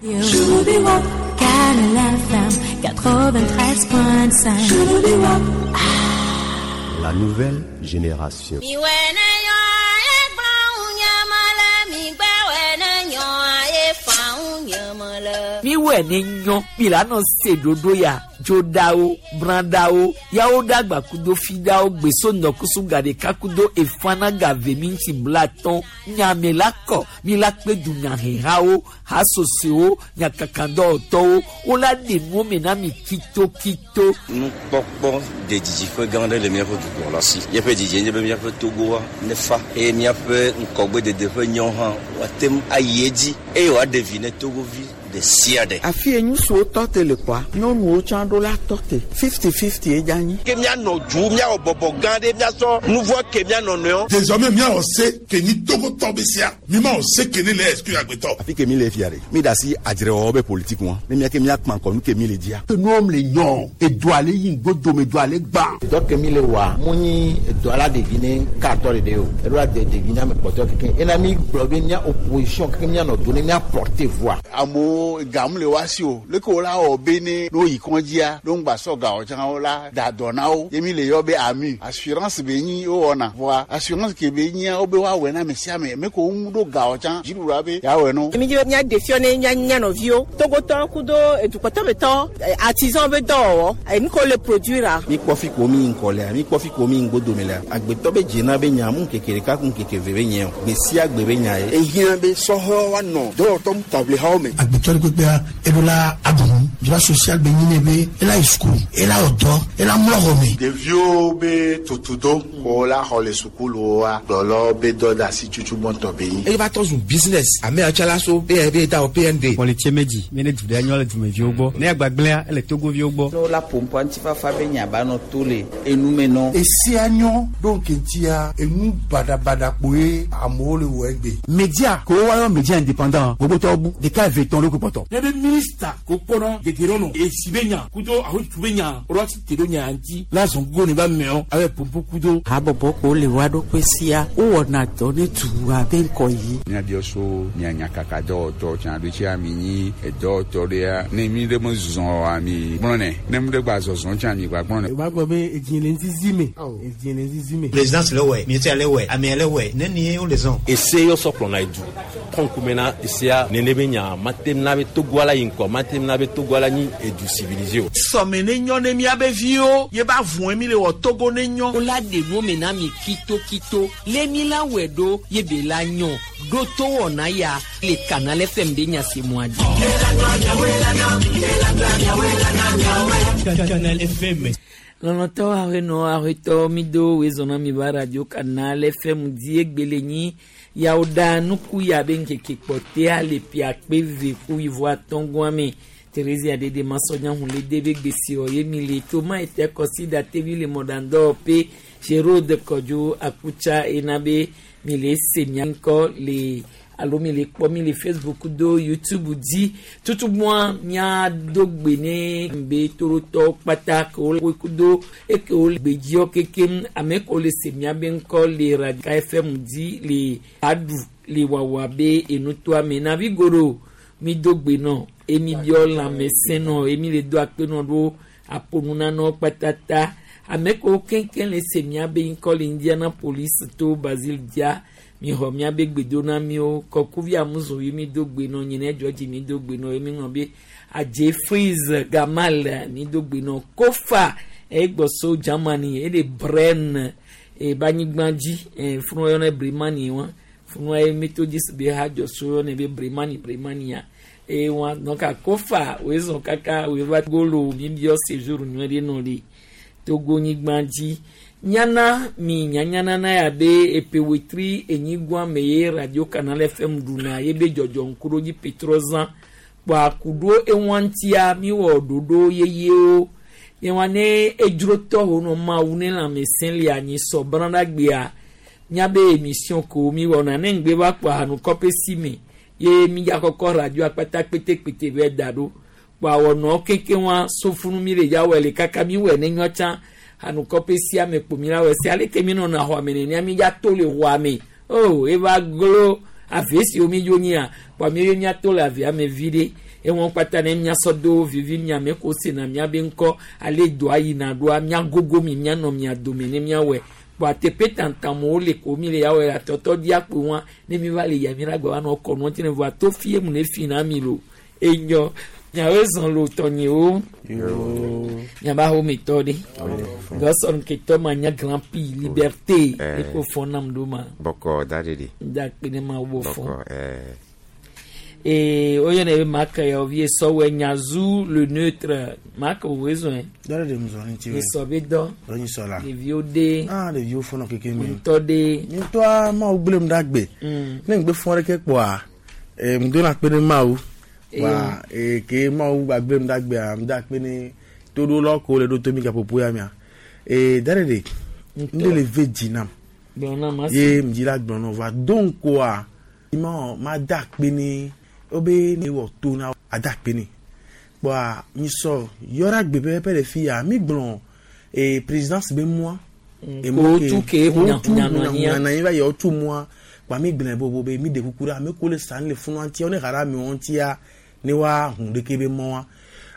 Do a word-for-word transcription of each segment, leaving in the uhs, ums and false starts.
La nouvelle génération. Miwɛ ne nyɔ milano se dodo ya dzodawo bradawo yawo dagba kudo fidawo gbeso nɔkusu gaɖeka kudo efana gave mi ŋuti blatɔn nyame la kɔ mi la kpe dunyahehawo hasosowo nyakakadɔwɔtɔwo wola ɖe nuwo me na mi kitokito. Nukpɔkpɔ de didiƒe gã aɖe le míaƒe dukplɔla si. Míaƒe didi nye be míaƒe Togoa nefa eye míaƒe ŋgɔgbedede ƒe nyawo hã woate ŋu ayi edzi eye wòaɖe vi ne Togovi ɖe sia ɖe. Afi ye ŋutsuwo tɔ te le kɔa, nyɔnuwo tsã ɖo la tɔ te fifty fifty ye dza nyi. Ke míanɔ du míawɔ bɔbɔ gã ɖe míasɔ nu vɔ ke míanɔ nɔewo. Désormais míawɔ se ke ni Togotɔ be sia mi ma wɔ se ke ne le exclure agbetɔ. Afi ke mi le fia ɖe mi da asi adzrewɔwɔ be politique ŋua ne mía ke míakpã kɔ nu ke mi le dzia. Nuwɔm le nyɔ edu ale yi ŋgodome du ale gbã. Dɔ ke mi le wɔa mu nyi edɔ la ɖevi ne katɔ ɖeɖe o eɖo la de ɖevi ne ame kpɔtɔ keke ena mi gblɔ be mía opposition keke míanɔ do ne mía porter voix. Amewo gamu le wa si o leke wo la wɔ be ne no yi kɔndzia no ŋgba sɔ gawɔ tsã wo la da dɔ na wo ye mi le yɔ be ami assurance be nyi wo wɔna voa assurance ke be nyia wo be woawɔe na ame sia ame me ko ŋu ɖo gawɔ tsã dziɖuɖua be yeawɔe no. Mi dzi be mía ɖe fiɔ ne mía mía nɔviwo Togotɔ kudo edukɔtɔmetɔ artisan be dɔwɔwɔ enu ko le produire. Mi kpɔ fi ko mi ŋkɔ lea mi kpɔ fi ko mi ŋgodome lea agbetɔ be dzena be nya mu ŋkeke ɖeka ku ŋkeke ve be nye o gbe sia gbe be nya ye. Ehiã be sɔhɛwo woanɔ dɔwɔtɔ taʋlihawo me. Agbetɔ ɖe kpekpea eɖo la aɖu droit social be nyi ne be ela yi sukulu ela wɔ dɔ ela mlɔ xɔ me. Ɖeviwo be tutudo ko la xɔ le sukuluwoa kplɔlɔwo be dɔ de asi tutu gbɔntɔ be nyi. Eye va tɔ zu business ame yawo tsã la so B N B da o P N D. Kpɔlitse medzi mi ne du ɖe nyɔ le dumeviwo gbɔ ne agbagblẽa ele Togoviwo gbɔ. Ne wola ƒoƒoa ŋutifafa be nya ba nɔ to le enume nɔ. Esia nyɔ ɖo ŋkeŋtia enu baɖabaɖa kpoe amewo le wɔ egbe. Media ko woayɔ media indépendant gbogbotɔwo bu ɖeka eve tɔn ɖo kpɔtɔ. Ne be minista ko kpɔnɔ gege nɔ esi be nya kudo ahotu be nya alo asi te ɖo nya ŋuti la zɔn gogo ne ba mɛɔ abe pompo kudo. Habɔbɔ ko le wa ɖokui sia wowɔna dɔ ne dua be ŋkɔ yi. Míabiɔ so mia nyakaka dɔwɔtɔ tsã ɖo tsia mi nyi edɔwɔtɔ ɖea ne mi ɖe me zɔ oa mi gblɔnɛ ne mi ɖe gba zɔzɔ tsã mi gba gblɔnɛ. O b'a gbɔ be edzi le ŋzizi me edzi le ŋzizi me. Présidence le wɛ ministère le wɛ amea le wɛ ne ni ye wo le zɔn. Ese yɔ sɔ kplɔna edu tɔnkume na esea nene be nya matem na be Togoa la yi ŋkɔ matem na be Togoa la nyi edu civilisé o. Sɔme ne nyɔ ne miabe viwo ye ba vɔn mi le wɔ Togo ne nyɔ. Wola ɖe nuwo me na mi kitokito le mi la wɔe ɖo ye be la nyɔ ɖo to wɔna ya le Canal F M be nyasemua dzi. Canal F M. Lɔlɔtɔ ahenɔ ahetɔ mi do wezɔna mi ba radio Canal F M di egbele nyi yawo da nuku ya be ŋkeke kpɔtea le pia kpe ve ku wuivo atɔ̃gɔa me Thérésia dede masɔnya hun le de be gbesiɔ ye mi le toma ete kɔsi tevi le mɔɖandɔ pe Gérald Kɔdzo Akutsa ena be mi le se mia ŋkɔ le alo mi le kpɔ mi le Facebook do YouTube dzi tutugbɔa miado gbe ne be torotɔwo kpata ke wo kudo eke wo le gbedziɔ kekem ame kewo le se mia be ŋkɔ le Radio F M dzi le aɖu le wawa be enutoa me navi goɖo mi do gbe nɔ emi biɔ lãmesẽ nɔ emi le do akpe nɔ ɖo aponunanɔ kpatata ame kewo keŋkeŋ le se mia be ŋkɔ le Indianapolis to Basile dia mi xɔ miabe gbedona miwo kɔkuvi amuzu yi mi do gbe nɔ nyinɛ dzɔdzi mi do gbe nɔ ye mi ŋlɔ be adze freeze gamal mi do gbe nɔ kofa egbɔso Germany ele Bren eba anyigba dzi ɛ funu yɔnɛ Bremani wa funu ye Methodist be ha dzɔso yɔnɛ be Bremani Bremania eye wa donc kofa wo zɔn kaka wo va golo mi biɔ séjour nyuie ɖe nɔ le Togo nyigba dzi nyana mi nyanyana na ya be epewetri enyigba me ye Radio Canal F M ɖuna ye be dzɔdzɔ ŋkuɖodzi petrɔzã kpɔ akuɖo eŋua ŋutia mi wɔ ɖoɖo yeyewo ye wa ne edzrotɔ wo nɔ mawu ne lãmesẽ le anyi sɔ brãɖagbea miabe émission ko mi wɔna ne ŋgbe va kpɔ ahanukɔƒe si me ye mi ya kɔkɔ radio akpata kpetekpete bɛ da ɖo kpɔ awɔnɔ keke wa sofunu mi le ya wɔ le kaka mi wɔ ne nyɔ tsã hanukɔƒe sia me kpo mi la wɔ si aleke mi nɔna xɔa me nenea mi ya to le xɔa me o eva glo ave si omi dzo nyia kpa mi ye miato le avea me vi ɖe ewɔn kpata ne miasɔ do vivi miame ko sena miabe ŋkɔ ale doa yina ɖoa miagogo mi mianɔ mia dome ne miawɔe kpa teƒe tantamowo le ko mi le yawɔe atɔtɔ diakpo wa ne mi va le yia mi la gba va nɔ kɔ nua tse ne voa to fie mu ne fi na mi lo enyɔ miawo zɔn lo tɔnyewo miaba hometɔ ɖe dɔsɔn ketɔ ma nya grand prix liberté eko fɔ nam ɖo ma bɔkɔ da de de da kpe ne ma wo fɔ bɔkɔ ɛɛ ee oyɔ ne be maka ya ovi sɔwɔ nyazu le neutre maka wo zɔn Dɔle de mu zɔn ŋuti esɔ be dɔ Dɔ nyi sɔ la. ɖeviwo de Ah ɖeviwo fɔnɔ keke mi. ŋutɔ de Ŋutɔa Mawu gblẽm ɖe agbe. Ne ŋgbe fɔ ɖeke kpoa, ee ŋdo na kpe ɖe Mawu. Wa ee ke Mawu gba gblẽm ɖe agbea, ŋdo akpe ne toɖolɔ ko le ɖo to mi gaƒoƒo ya mea. Ee da ɖe ɖe, ŋɖe le ve dzi nam. gblɔ na ma Ye ŋdzi la gblɔ nɔ va do ŋkɔa, ma ma da akpe ne wobe ne wɔ to na ada akpe ne. Kpoa mi sɔ yɔ ɖe agbe pɛpɛpɛ le fi ya mi gblɔ ee présidence be mɔa. Ko tu ke hunahuna nɔ anyia. na anyi va yɔ tu mɔa kpa mi gblẽ bobo be mi de kuku ɖe ame ko le sa le funua ŋutia ne xa ɖe amewo ŋutia ne wa hun ɖeke be mɔa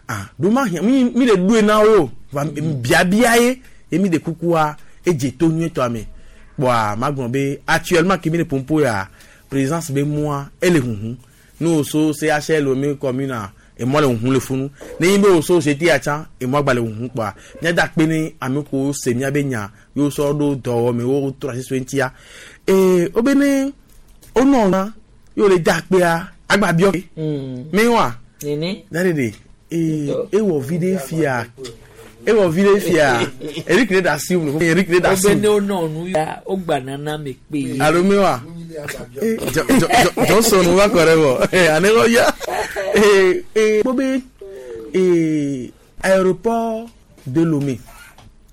ah ɖo ma hiã mi mi le ɖoe na wo va biabia ye ye mi de kukua edze to nyuietɔa me kpoa ma gblɔ be actuellement ke mi le pompo ya présidence be mɔa ele huhu ne o so CHL mi commune a emɔ le huhu le funu ne nyi be o so CT atsa emɔ gba le huhu kpoa míada kpe ne ame ko se míabe nya ye wosɔ ɖo dɔwɔme wo trɔ asi so ŋutia ee wobe ne wonɔ na ye wole da akpea agba biɔ ke mi wa nene da ɖe ee ewɔ vi ɖe fia ewɔ vi ɖe fia Eric ne da asi mu Eric ne da asi wobe ne mu wonɔ nu ya wogba nana me kpe ye alo mi wa ee jɔ jɔ jɔ Johnson wa kɔ ɖe vɔ ee ane kɔ ya ee ee kpɔ be ee aéroport de Lomé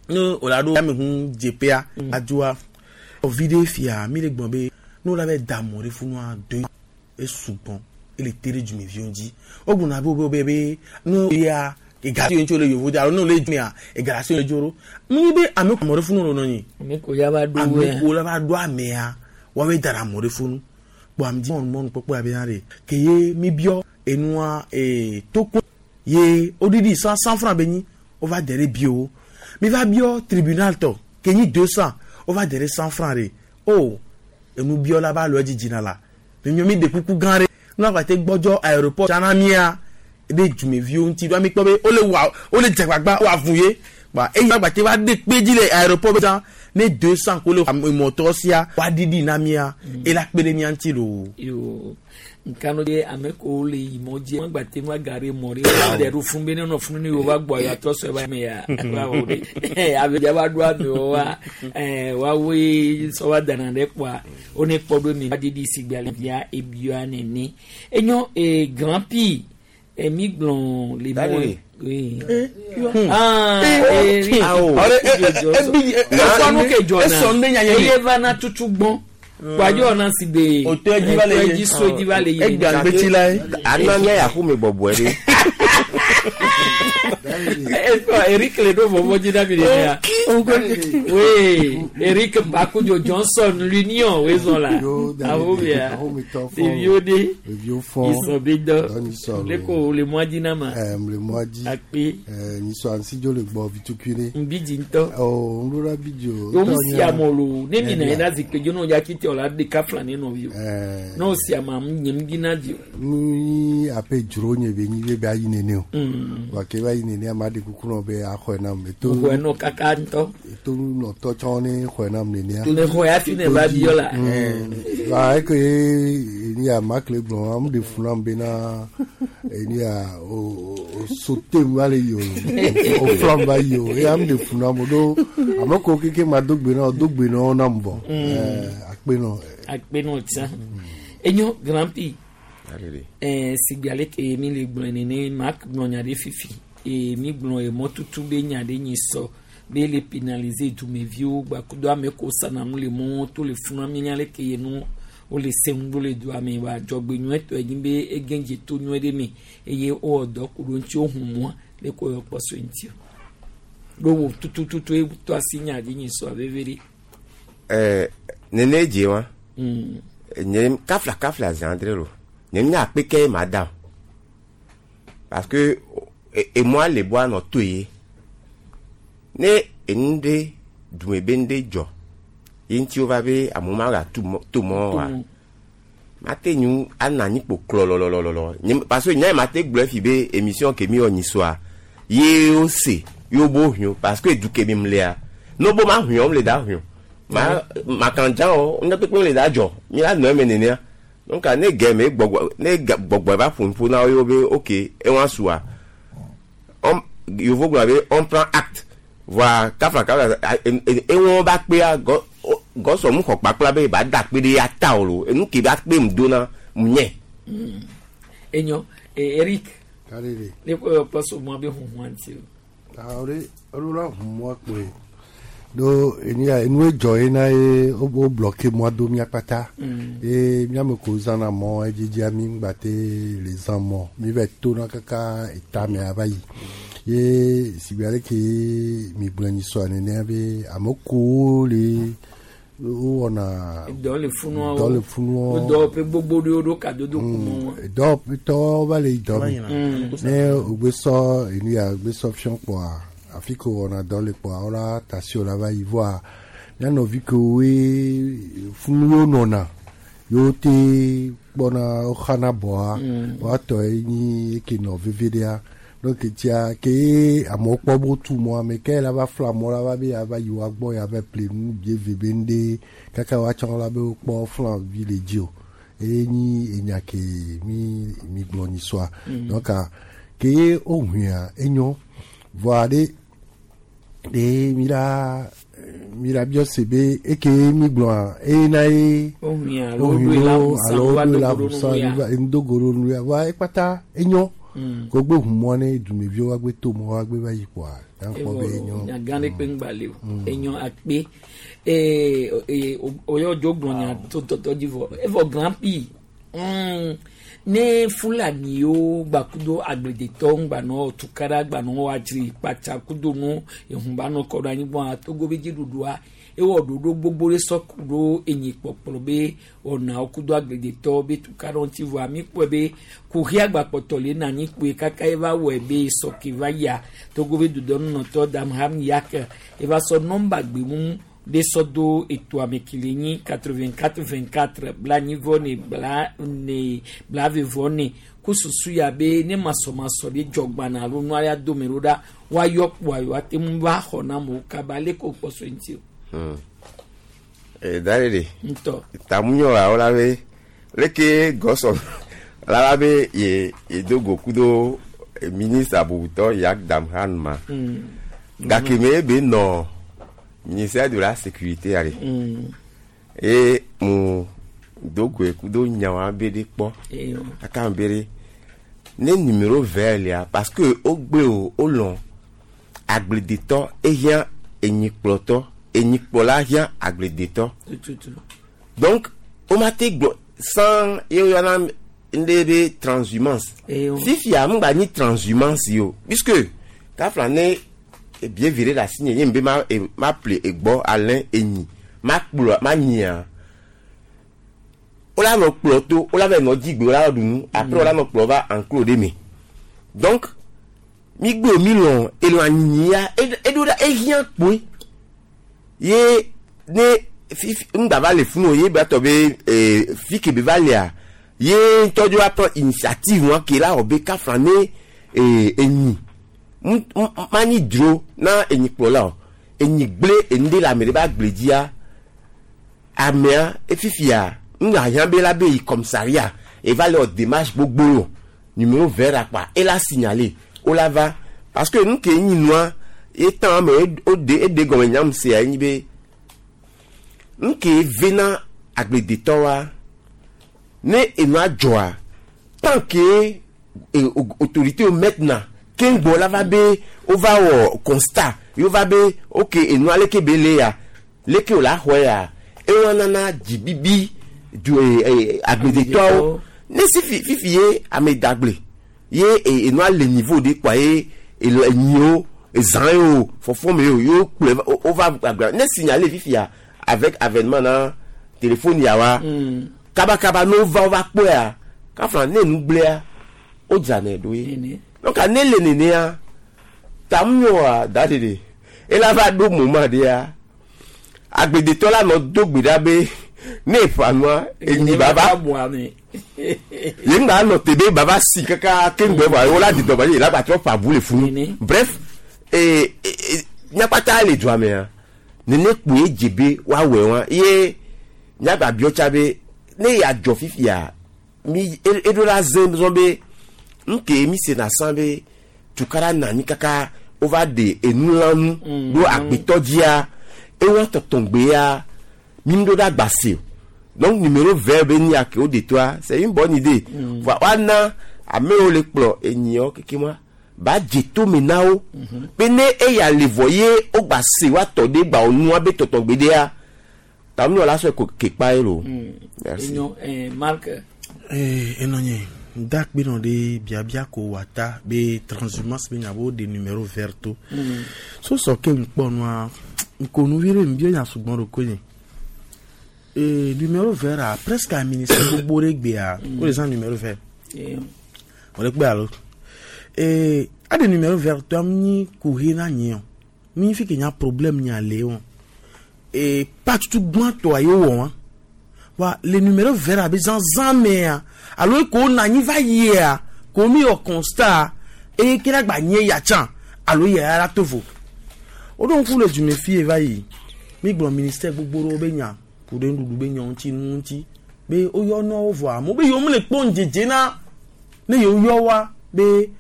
ne o la ɖo yameʋu dzeƒea adzoa vi ɖe fia mi le gblɔ be ne wo la va da mɔ ɖe funua do esugbɔn ele te ɖe dzumeviwo dzi wogblɔna be wo be be ne ya ega si ŋutsu le yevu de alo ne wole dzimea ega si le dzo ɖo mu be ame mɔ ɖe funu nɔ nyi ame ko ya va ɖo ame ko la va ɖo amea woawoe da ɖe amɔ ɖe funu kpɔ ame dzi mɔnu mɔnu kpɔkpɔ ya be na ɖe ke ye mi biɔ enua ee toko ye woɖiɖi cent cent franc be nyi wova de ɖe bio mi va biɔ tribunal tɔ ke nyi deux cent wova de ɖe cent franc ɖe o enu biɔ la ba lɔ edzi dzina la mi mi de kuku gã ɖe nua gba te gbɔdzɔ aéroport tsana mia ɖe dzumeviwo ŋuti ɖo mi kpɔ be wole wa wole dzegbagba wɔ avu ye ba eyi agba te va de kpe dzi le aéroport be tsã ne deux cent ko le emɔtɔ sia wa ɖiɖi na mia ela kpe ɖe mia ŋuti loo. yo nkanu de ame ko le yi mɔ dzi wọn gba te ŋu agare mɔ ɖe wọn ɖe ɖo fún be ne nɔ fún ne yóò va gbɔ ayɔ atɔ sɔ eba me ya wa wo ɖe ame dza va ɖo amewo wa ɛɛ wa woe sɔ wa dana ɖe kpoa wo ne kpɔ ɖo mi va ɖiɖi si gbe ale bia ebia nene enyo ee grand prix emi gblɔ le mɔ oui ah ee esɔnu ke dzɔna eye va na tutu gbɔn kpadze na si be Òtó ẹdzi va le ye. ẹdzi so ẹdzi va le ye Egbe agbetsi la ye. ana mía ya xome bɔbɔe ɖe Esɔ Eric le ɖo vɔvɔ dzi na mi ɖe ya oui Eric Bakudzo Johnson l'union wezɔn la awo bia ɖeviwo ɖe ɖeviwo fɔ isɔ be dɔ Nyisɔ le ko le mɔa dzi na ma ɛɛ le mɔa dzi akpe ɛɛ nyisɔ ansidzo le gbɔ vitukui ɖe nbidzi ŋutɔ ɔ ŋɖo la bidzo yomu si amɔ lo ne mi na yi na zikpui dzi ne wodza titi o la ɖeka fla ne nɔviwo ne wo si ama nye ŋdi na dzi o nu yi aƒe dzro nye be nyi be be ayi nene o Mm. wa ke be ayi nene ama ɖe kuku nɔ be axɔe nam eto xɔe nɔ kaka ŋutɔ eto nɔtɔ tsɔ ne xɔe nam nenea ne xɔe hafi ne va biɔ la Mm. Wa eke ye eni ya makle gblɔ ame ɖe fu nam bena eni ya o o sote mu va le yi o o flam va yi o eye ame ɖe fu nam o ɖo ame ko keke ma do gbe na o do gbe na wo nam vɔ ɛɛ akpe nɔ akpe nɔ tsã enyo grand prix Alele. ɛɛ sigbe ale ke mi le gblɔe nene mak gblɔ nya ɖe fifi eye mi gblɔ emɔtutu be nya ɖe nyi sɔ be le pénaliser dumeviwo gbakudo ame ko sana nu le mɔwo to le funu mi nya le ke ye nu wole se ŋu ɖo le dua me wa dzɔgbe nyuietɔ enyi be egɛdze to nyuie ɖe me eye wowɔ dɔ ku ɖo ŋuti wohu mɔa le ko yɔ kpɔ so ŋuti o ɖo wo tutututu to asi nya dzi nyi sɔ veve ɖe. ɛɛ nene dze wa Mm. Nye kafla kafla zandre lo. Nye nya akpeke ma da o. Parce que emɔa le bɔ anɔ to ye. Ne enu ɖe dume be nu ɖe dzɔ ye ŋuti wova be amewo ma ga tu mɔ to mɔ wa. Mate ŋu ana anyi kpo klɔlɔlɔlɔlɔ. Nye parce que nya yi mate gblɔe fi be émission ke mi wɔ nyi soa ye wo se ye wo bo hiɔ parce que du ke mi lea ne wo bo ma hiɔ le da hiɔ. Ma makandza o ne kpekpe le da dzɔ mi la nɔ eme nenea. Donc ne gɛ me gbɔgbɔ ne gbɔgbɔ va ƒo nuƒo na wo ye wo be ok ewa sua on yovo gblɔ be on prend acte voa kafla kafla ewɔ ba kpea gɔ gɔsɔ mu xɔ kpakpla be ba da kpe ɖe ya ta o lo enu ke ba kpe mu do na mu nye. Enyo Eric. Karere. Ne ko yɔ kpɔ so mɔ be huhun ŋuti o. Awore ɔlula hun mɔ kpoe. Do enia enu edzɔ ye na ye wo wo bloqué mɔ do mía kpata. Ye míame ko zãna mɔ edzedzia mi ŋgba te le zã mɔ mi va to na kaka eta me ava yi. Ye sigbe ale ke mi gblɔ nyi sɔa nenea be ame kowo le wowɔna. Dɔ le funuawo. Dɔ le funuawo. Dɔwɔƒe gbogbo ɖewo ɖo kadodo ku mɔ wa. Dɔwɔƒetɔwo va le yi dɔ me. Ne wogbe sɔ enu ya wogbe sɔ fiɔ kpɔa afi ke wowɔna dɔ le kpɔa wola tasi la va yi voa mía nɔvi kewoe funuwo nɔna yewo te kpɔna woxana bɔa woatɔ ye nyi eke nɔ veve ɖea donc tia ke amewo kpɔ be wotu mɔ ame ke la va fla mɔ la va be ya va yi woa gbɔ ya va ple nu bie ve be nu ɖe kaka woatsɔ la be wokpɔ flan vi le dzi o eye nyi enya ke mi mi gblɔ nyi sɔa donc ke wohuia enyo voa ɖe ɖe mi la mi la biɔ se be eke mi gblɔa eye na ye wohuia alo woɖoe la alo woɖoe la ʋusa ŋdogoro nu ya voa ekpata enyo kogbe hu mɔ ne dumeviwo wa gbe to mɔ wa gbe va yi kpɔa yankpɔ be enyo. Nyagã ɖe kpe ŋgba le o enyo akpe ee ee oyɔ dzo gblɔ nya to tɔtɔ dzi vɔ evɔ grand prix ne fulaniwo gbakudo agbledetɔwo ŋgbanɔ tukaɖa gbanɔ woadzri kpatsa kudo nu ehunbanɔ kɔ ɖo anyigba togo be dziɖuɖua ewɔ ɖoɖo gbogbo ɖe sɔ ku ɖo enyi kpɔkplɔ be wɔnawo kudo agbledetɔwo be tukaɖa ŋuti vɔa mi kpɔe be kuxi agbakpɔtɔ le na anyi kpoe kaka eva wɔe be sɔke va yia togo be dudɔnunɔtɔ Damham Yak eva sɔ nɔmba gbemu ɖe sɔ do eto ame kele nyi quatre-vingt-quatre vingt-quatre blanyi vɔ ne bla ne blave vɔ ne ko susu ya be ne masɔmasɔ ɖe dzɔ gbana alo nua ya dome ɖo ɖa woayɔ kpoa yewoate ate ŋu va xɔ na amewo kaba ale ko kpɔ so ŋuti o. Da ɖe ŋutɔ. Tamunyɔ la wola be leke gɔsɔ la la be ye ye do go kudo ministre abubutɔ Yak Damhan ma gake me be nɔ ministère de la sécurité ale eye mu do goe kudo nyawa be ɖe kpɔ kaka be ɖe ne numéro vert lia parce que wogbe o wolɔ agbledetɔ ehiã enyikplɔtɔ enyikplɔla hiã agbledetɔ donc womate gblɔ sans ye woyɔna ŋɖe be transhumance fifia ŋgba nyi transhumance yi o puisque kafla ne ebie vi ɖe le asi nye ye ŋbe ma e ma ple egbɔ alẽ enyi ma kplɔ ma nyia wola nɔ kplɔ to wola va nɔ dzigbe wola ɖu nu après wola nɔ kplɔ va enclos ɖe me donc mi gbe mi lɔ elɔ anyinyi ya eɖo ɖa ehiã kpoe ye ne fifi ŋgba va le funu o ye ba tɔ be ee fi ke be va lea ye ŋutɔ dzo aprend initiative wa ke la wɔ be kafla ne ee enyi manyi dro na enyikplɔla o enyi gble enu ɖe le ame ɖe ba gble dzia amea efifia ŋga hiã be la be yi commissariat eva le wɔ démarche gbogbo o numéro vert akpa ela signaler wola va parce que nu ke nyi nua etan me o de eɖe gɔme nyam sea enyi be nu ke vena agbledetɔ wa ne enua dzɔa tant que autorité o maintenant keŋgbɔ la va be wova wɔ constat ye wova be ok enua leke be le ya leke o la xɔe ya ewa nana dzibibi du ee agbledetɔwo ne si fi fifi ye ame dagble ye enua le niveau de kpoa ye ele enyiwo ezã ye o fɔfɔme ye o ye wo kplɔe wova agble ne signaler fifia avec avènement na téléphone ya wa. Mm. Kabakaba ne wova wova kpɔea kafla ne nu gblẽa wodzranɛ ɖo ye. Donc ne le nenea tamunyɔa da ɖeɖe ela va ɖo moment ɖea agbledetɔ la nɔ do gbe ɖa be ne eƒã nua enyi baba ye ŋgba nɔ te be baba si kaka ke ŋgbɛ vɔa wola di dɔgba ye la gba trɔ ƒã bu le funu. Bref ee nyakpata le dua mea nene kpoe dze be woawɔe wa ye nyagba biɔ tsa be ne ya dzɔ fifia mi eɖo la ze zɔn be nke mi sena san be tukara nani kaka wova ɖe enulãnu ɖo agbetɔ dzia ewa tɔtɔgbe ya mi ŋu ɖo ɖe agbase o. Donc numéro vert be ni ake wo de toa c'est une bonne idée. Voa woana amewo le kplɔ enyiɔ keke ma ba dze tome na wo be ne eya le vɔ ye wogba se woatɔ ɖe gba wo nua be tɔtɔgbe ɖea tamunyɔ la sɔe ko kekpa ye lo. Merci. Enyo eh, Marc. Eh, enɔ nye da kpe nɔ ɖe biabia ko wata be transhumance be nya bo de numéro vert to. Mm. So sɔ ke ŋkpɔ nua ŋkonu vi ɖe ŋbio nya sugbɔn ɖo ko nye. Eh, numéro vert a presque a ministère gbogbo ɖe gbea wo le zã numéro vert. Eh, Wòle kpe alo. Eh, a de numéro vert to am nyi kuhi na nye o. Mi fi ke nya problème nya le o. Eh, pa tutu gbãtɔa ye wɔ wa. Wa le numéro vert abe zanzan mea alo ko na anyi va yia ko mi wɔ constat eye ke la gba nye ya tsã alo ya la to vo. Woɖo ŋku le dume fie va yi mi gblɔ ministère gbogbo ɖewo be nya ku ɖe nuɖuɖu be nya ŋuti nu ŋuti be woyɔ nua wo vɔa amewo be yewo mele kpɔ ŋdzedze na ne yewo yɔ wa be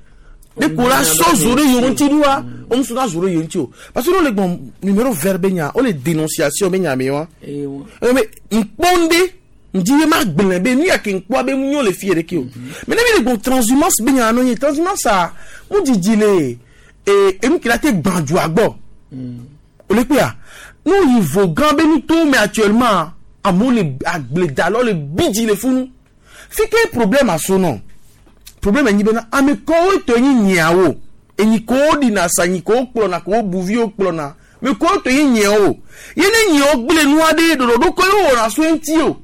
ne ko la sɔ zo ɖe yewo ŋuti ɖoa wo ŋu sɔ zo ɖe yewo ŋuti o parce que ne wole gblɔ numéro vert be nya wole dénonciation be nya me wa eh, wa. eye be ŋkpɔ ŋɖe ŋdi be ma gblẽ be nu ya ke ŋkpɔa be ŋu nyo le fie ɖeke o mais ne mi le gblɔ transhumance be nya nɔ nye transhumance a ŋu dzidzi le ee enu ke la te gbã dua gbɔ o le kpea nu yi vo gã be nutowo me actuellement amewo le agbledalawo le bidzi le funu fi ke problème aso nɔ problème enyi bena ame kɔwo tɔ enyi nyiawo enyi kowo ɖina sa enyi kowo kplɔna kowo buviwo kplɔna me kowo tɔ enyi nyiawo ye ne nyiawo gblẽ nua ɖe ɖoɖoɖo koe wowɔna so eŋuti o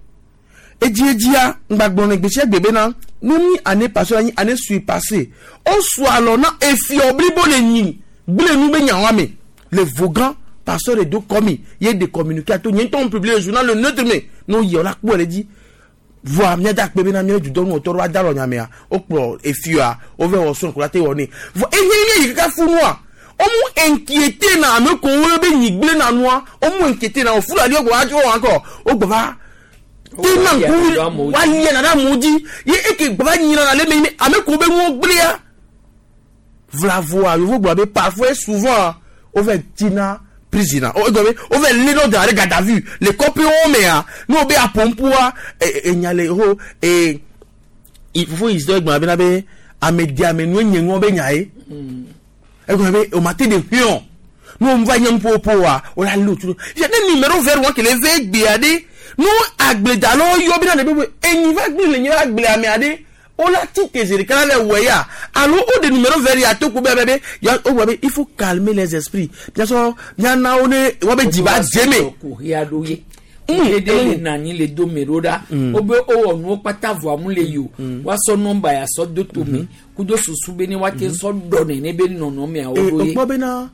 edziedzia ŋgbagblɔ ne gbe sia gbe bena nu mi année passée anyi année surpassée wosu alɔ na efiɔ blibo le nyi gblẽ nu be nyawoa me le vogan pasteur de do kɔmi ye de communiqué ato nye ŋutɔ publié le journal le neutre me ne woyi la kpɔ le dzi voa míada akpe bena míele dudɔnu wɔtɔ ɖo ada lɔ nyamea wokplɔ efioa wova wɔ srɔ̃ ko la te wɔ nɛ vɔ enye nye yi kaka funua womu inquiété na ame ko wo be nyi gblẽ na nua womu inquiété na wo fulani wo gbɔ va tso wɔn kɔ wo gbɔ va tena ŋku woalia na ɖe amewo dzi ye eke gbɔ va nyina na le eme ame ko be nuwo gblẽa vlavoa yevu gblɔ be parfois et souvent wova tina prison o egɔ be wova lé ɖo da ɖe garde à vue le kɔƒewo mea ne wo be apɔnpua enya le ho ee fofo yi sɔ egblɔ bena be ame di ame nu enye ŋɔ be nya ye egblɔ be o ma te de hwɛn ne wo va nye nuƒoƒo wa o la lé o tu ɖo ne numéro vert wɔn kele ve gbea ɖe nu agbledalawo yɔ bena le be enyi va gblẽ le nyi va gblẽ amea ɖe wola ti te zi ɖeka la le wɔ ya alo wo de numéro vert ya to ko be be be ya wo gblɔ be il faut calmer les esprits miasɔ miana wo ne wa be dzi va dze me. kuxia ɖo ye kuxi ɖe le na anyi le do me ɖo ɖa wobe wowɔ nuwo kpata vɔa mu le yi o woasɔ nɔmba ya sɔ do tome kudo susu be ne woate sɔ ɖɔ nene be nɔnɔmeawo ee ɖo ye. o kpɔ bena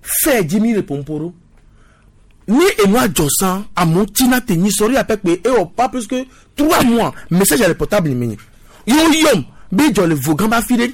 fɛ dzi mi le pompo ɖo ni enua dzɔ san amewo tina te nyi sɔrí apɛ kpe ewɔ pas plus que trois mois message le portable mi nye yewo yɔm be dzɔ le vogan ba fi ɖe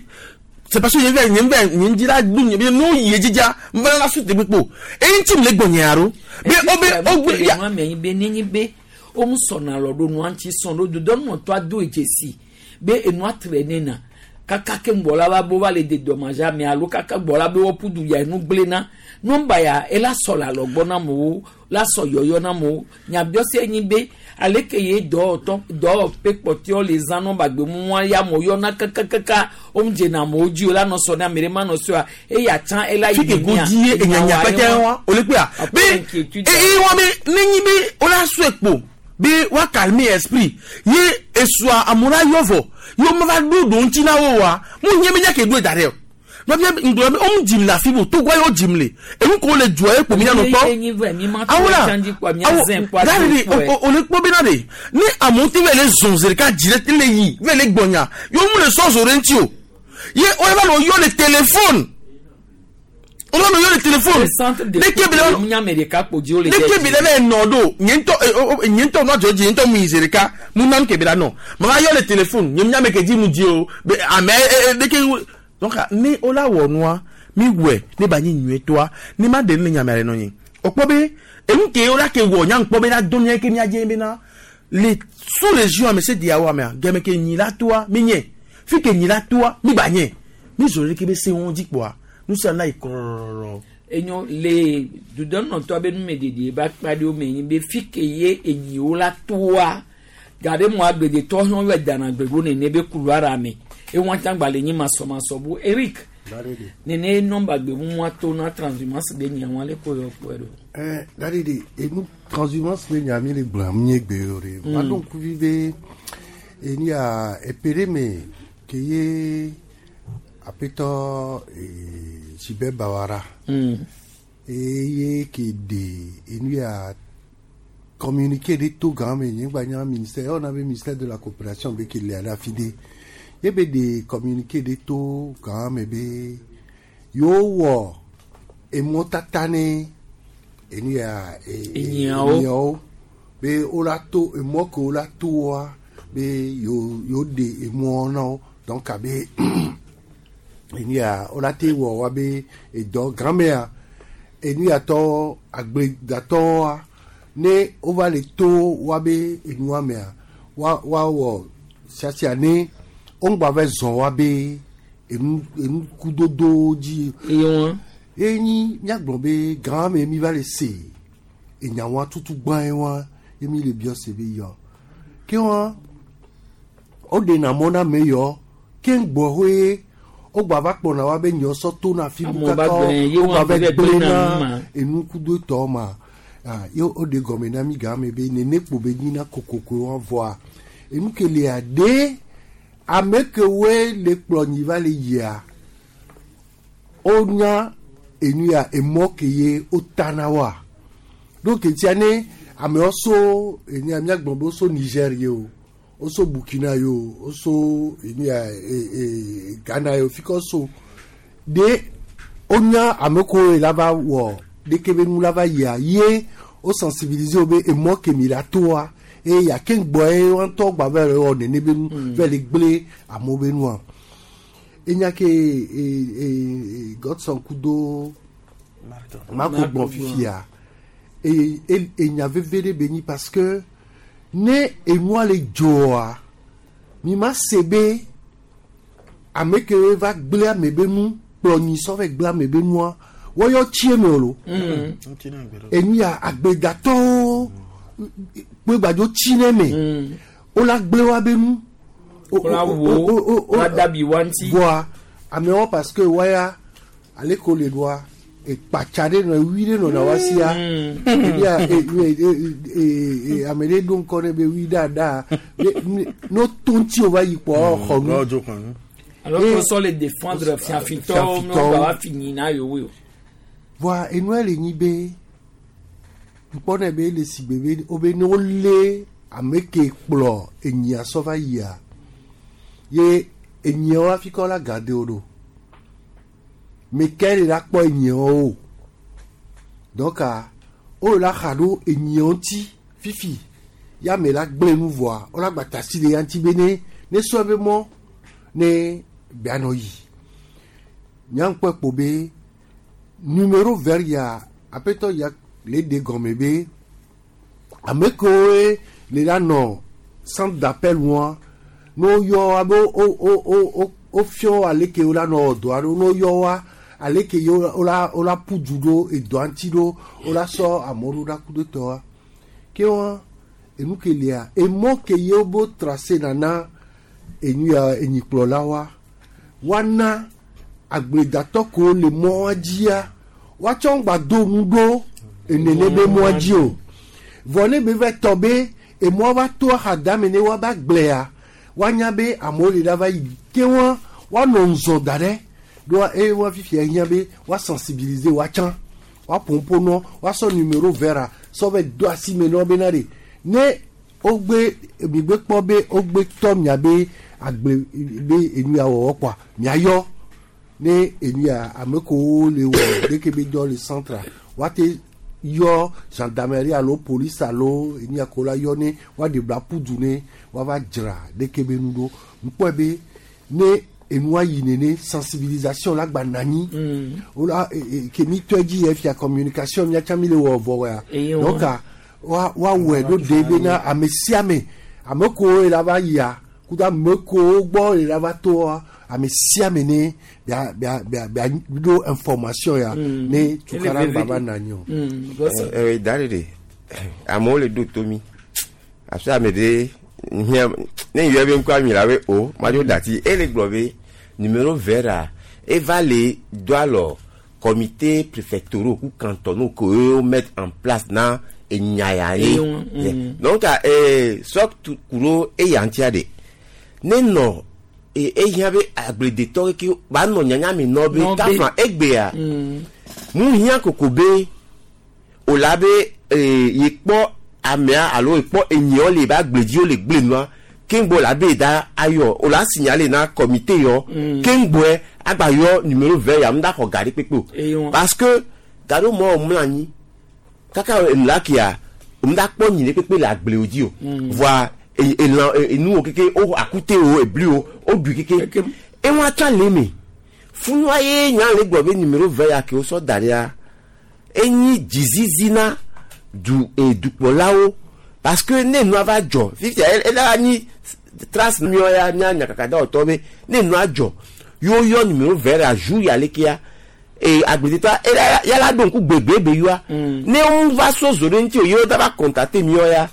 c'est parce que nye vɛ nye vɛ nye ŋdzi la ɖu nye be n'o yi dzidza nvɛ la su te kpekpe o eyi ŋuti mi le gbɔ nye aro be o be o gbe ya nua me anyi be nenye be womu sɔna lɔ ɖo nua ŋuti sɔn ɖo dodɔnɔtɔ ado dzesi be enua tre nena kaka ke ŋgbɔ la va bo va le de dɔmadze ame alo kaka gbɔ la be wɔƒu du ya enu gblẽ na nɔmba ya ela sɔ le alɔgbɔ na amewo la sɔ yɔyɔ na amewo nyabiɔse nyi be aleke ye dɔwɔtɔ dɔwɔƒe kpɔtɔewo le zã nɔmba gbemua ya amewo yɔna kakakaka womu dzena amewo dzi o la nɔ sɔ ne ame ɖe ma nɔ sɔa eya tsã ela yi fi ke nenia, go di ye enyanya enyawoa pɛtɛ ye wa o le kpea be eye wa be nenyi be o la sɔe kpo be wa calmer esprit ye esua amewo la yɔ vɔ ye wo ma va ɖo ɖo ŋuti na wo wa mu nye be nya ke ɖoe da ɖe o Nɔvia ŋgblɔ be womu dzim le afi bo togoa ye wo dzim le enu ko le dua ye kpo mi anɔ kpɔ awola awo gari de o le kpɔ bena de ne amewo te va le zɔn zi ɖeka dzi ɖe le yi va le gbɔnya ye womu le sɔ zo ɖe ŋuti o ye wo va nɔ yɔ le téléphone wo va nɔ yɔ le téléphone leke bi le leke bi le bɛ nɔ do nye ŋutɔ nye ŋutɔ nɔ dzɔ dzi nye ŋutɔ mu yi zi ɖeka mu nam ke bi la nɔ ma va yɔ le téléphone nye mu nya me ke dzi mu dzi o be ame leke. Donc ne ola wɔ nua mi wɛ ne ba nyi nyuie toa ne ma de ne nyame ale nɔ nyi o kpɔ be enu ke ola ke wɔ nya kpɔ be na do mia ke mia dze be na le sous région ame se dia wa mea gɛmɛ ke nyi la toa mi nye fi ke nyi la toa mi gba nye mi zɔ ɖe ke be se wɔn dzi kpɔa nu sia na yi kɔrɔrɔrɔ. Enyo le dudɔnɔtɔ be numeɖeɖe ba kpa ɖe wo me nyi be fi ke ye enyiwo la toa gaɖe mo agbedetɔ hã wɔ dana gbego nene be couloir ame. E wọn tán gbalẹ̀ yín masọmasọ bu Eric nene nọ́mbà gbẹmú wọn tó ná transhumance bẹ nyà wọn lẹkọọ yọ pọ ẹrọ. Ɛ dadi de enu transhumance bɛ nya mi le gblɔ mi ye gbe o de ma dɔn kuvi be enu ya epere me ke ye apetɔ ee Sibɛ Bawara eye ke de enu ya communiqué de to gan me nye gba nya ministère on avait ministère de la coopération be ke le ala fi de. Ye be de communiqué de to quand me be yo wɔ emɔ tata ne enu ya enyiawo be o la to emɔ ke o la to wa be yo yo de emɔ na wo donc abe enu ya o la te wɔ wa be edɔ gãmea enu ya tɔ agbledatɔ wa ne o va le to wa be enua mea wa wa wɔ siasia ne wongba va zɔn wa be enu enu kudodo dzi. Eye wọn. Enyi miagblɔ be gã me mi va le se enyawa tutu gbã ye wa ye mi le biɔ se be yɔ ke wa o de na mɔ na me yɔ ke ŋgbɔ hoe o gba va kpɔna wa be nyɔ sɔ to na fi bu kaka o gba va gblẽ na enu kudo tɔ ma ah ye o de gɔme na mi gã me be nene kpo be nyina kokoko wa vɔa enu ke lea de. Ame kewoe le kplɔ nyi va le yia wonya enu ya emɔ ke ye wotana wa donc etia ne amewo so enu ya miagblɔ be woso Niger ye o woso Burkina ye o woso enu ya e e Ghana ye o fi ke woso de wonya ame kewoe la va wɔ ɖeke be nu la va yia ye wo sensibiliser wo be emɔ ke mi la toa. E ya ke ŋgbɔ ye wɔn tɔ gba vɛ le wɔ nene be nu vɛ le gblẽ amewo be nua enya ke e e Godson kudo Mako gbɔn fifia e e enya veve ɖe be nyi parce que ne enua le dzoa mi ma se be ame ke va gblẽ ame be nu kplɔ nyi sɔ vɛ gblẽ ame be nua wɔyɔ tsi eme o lo enu ya agbedatɔwo. Kpe gbadzo tsi ne me wola gblẽ wa be nu wola wo wola dabi wa ŋuti voa amewo parce que waya ale ko le doa ekpatsa ɖe nɔ wi ɖe nɔna wa sia ebia e ame ɖe ɖo ŋkɔ ne be wi ɖaɖa no to ŋuti o va yi kpɔ xɔ nu. Alors que sɔ le défendre fiafitɔwo ne wo ba wa fi nyina yewoe o. Voa enua le nyi be. Nkpɔnɛ be le si be wo be ne wolé ame ke kplɔ enyia sɔ va yia ye enyiawo hafi kɔ la gade wo ɖo me ke le la kpɔ enyiawo o donc wo la xa ɖo enyiawo ŋuti fifi ya me la gblẽ nu vɔa wo la gba tasi le ya ŋuti be ne ne sɔ be mɔ ne bea nɔ yi nyaŋkpɔ kpo be numéro vert ya aƒetɔ ya le de gɔme be ame kewoe le la nɔ centre d'appel wa ne woyɔ wa be wo wo wo wo fiɔ ale ke wo la nɔ dɔa ɖo ne woyɔ wa ale ke ye wo la wo la ƒu du ɖo edɔa ŋuti ɖo wo la sɔ amewo ɖo ɖa ku ɖe tɔ wa ke wa enu ke lia emɔ ke ye wo bo tracé nana enu ya enyikplɔla wa woana agbledatɔ kewo le mɔa dzia woatsɔ ŋgba do nu ɖo enene be mɔa dzi o vɔ ne be va tɔ be emɔa va to axadame ne woava gblẽa woanya be amewo le ɖa va yi ke wa woanɔ ŋzɔ da ɖe Ɖoa eye wa fifia hiã be wa sensibiliser wa tsã wa ƒoƒo nɔ wa sɔ numéro vert sɔ be do asi me nɔ bena de ne wogbe migbe kpɔ be wogbe tɔ miabe agble be enu ya wɔwɔ kpɔa miayɔ ne enu ya ame kewo le wɔ ɖeke be dɔ le centre wa te yɔ gendarmerie alo police alo enu ya ko la yɔ ne wa ɖe bla ƒu ne wa va dzra ɖeke be nu ɖo ŋkpɔe be ne enua yi nene sensibilisation la gba nanyi wola ke mi tɔ dzi yɛ fia communication miatsa mi le wɔ vɔ ya donc wa wa wɔe ɖo de bena ame sia ame ame kewo la va yia kudo ame kewo gbɔ la va toa ame sia ame ne bia bia bia bia ɖo information ya ne tukara gba va nanyi o. ɛɛ dari de amewo le ɖo to mi afi ame ɖe ne yɔ be ŋkɔ ami la be o madzo dati ele gblɔ be numéro vert a eva le do alɔ comité préfectoraux ku cantonaux ke wo mettre en place na enyaya ye donc ee sɔ kuro eya ŋutia de ne nɔ ehiã be agbledetɔ keke ba nɔ nyanya mi nɔ be kafla egbea mu hiã koko be o la be ee yekpɔ amea alo ekpɔ enyiɔ le ba agbledzi wo le gble nua keŋgbɔ la be da ayɔ o la signaler na comité yɔ keŋgbɔe agba yɔ numéro vert ya mu da xɔ gari kpekpe o parce que gari mɔ mlɔ anyi kaka enu kia mu da kpɔ nyi ɖe kpekpe le agblewo dzi o voa elan enuwo keke o akute o ebli o o ɖui keke ewa tsã le eme funua ye nya le gblɔ be numéro vert ya ke wosɔ da ɖia enyi dzizizi na du edukplɔlawo parce que ne nua va dzɔ fifia ela nyi trace miɔ ya mia nyakaka dawɔtɔ be ne nua dzɔ yewo yɔ numéro vert ya jour ya lekea ee agbledetɔ ela yala ɖo ŋku gbegbe yɔa ne wo va so zo ɖe ŋuti o yewo da va contacter miɔ ya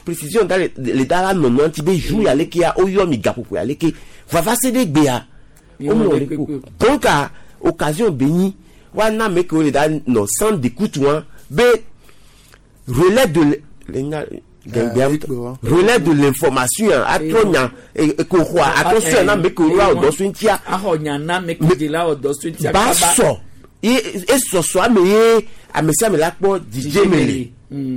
précision da le le da la nɔnɔ ŋuti be jour ya lekea wo yɔ mi gaƒoƒo ya leke vava se ɖe gbea wo mlɔ ɖe ko donc occasion be nyi wa na ame kewo le da nɔ centre d'écoute wa be relais de relais de l'information atrɔ nya ekoxɔa atrɔ sɔe na ame kewo la wòdɔ so ŋutia axɔ nya na ame kewo la wòdɔ so ŋutia ba sɔ ye esɔsɔ ame ye ame sia ame la kpɔ dzidzeme le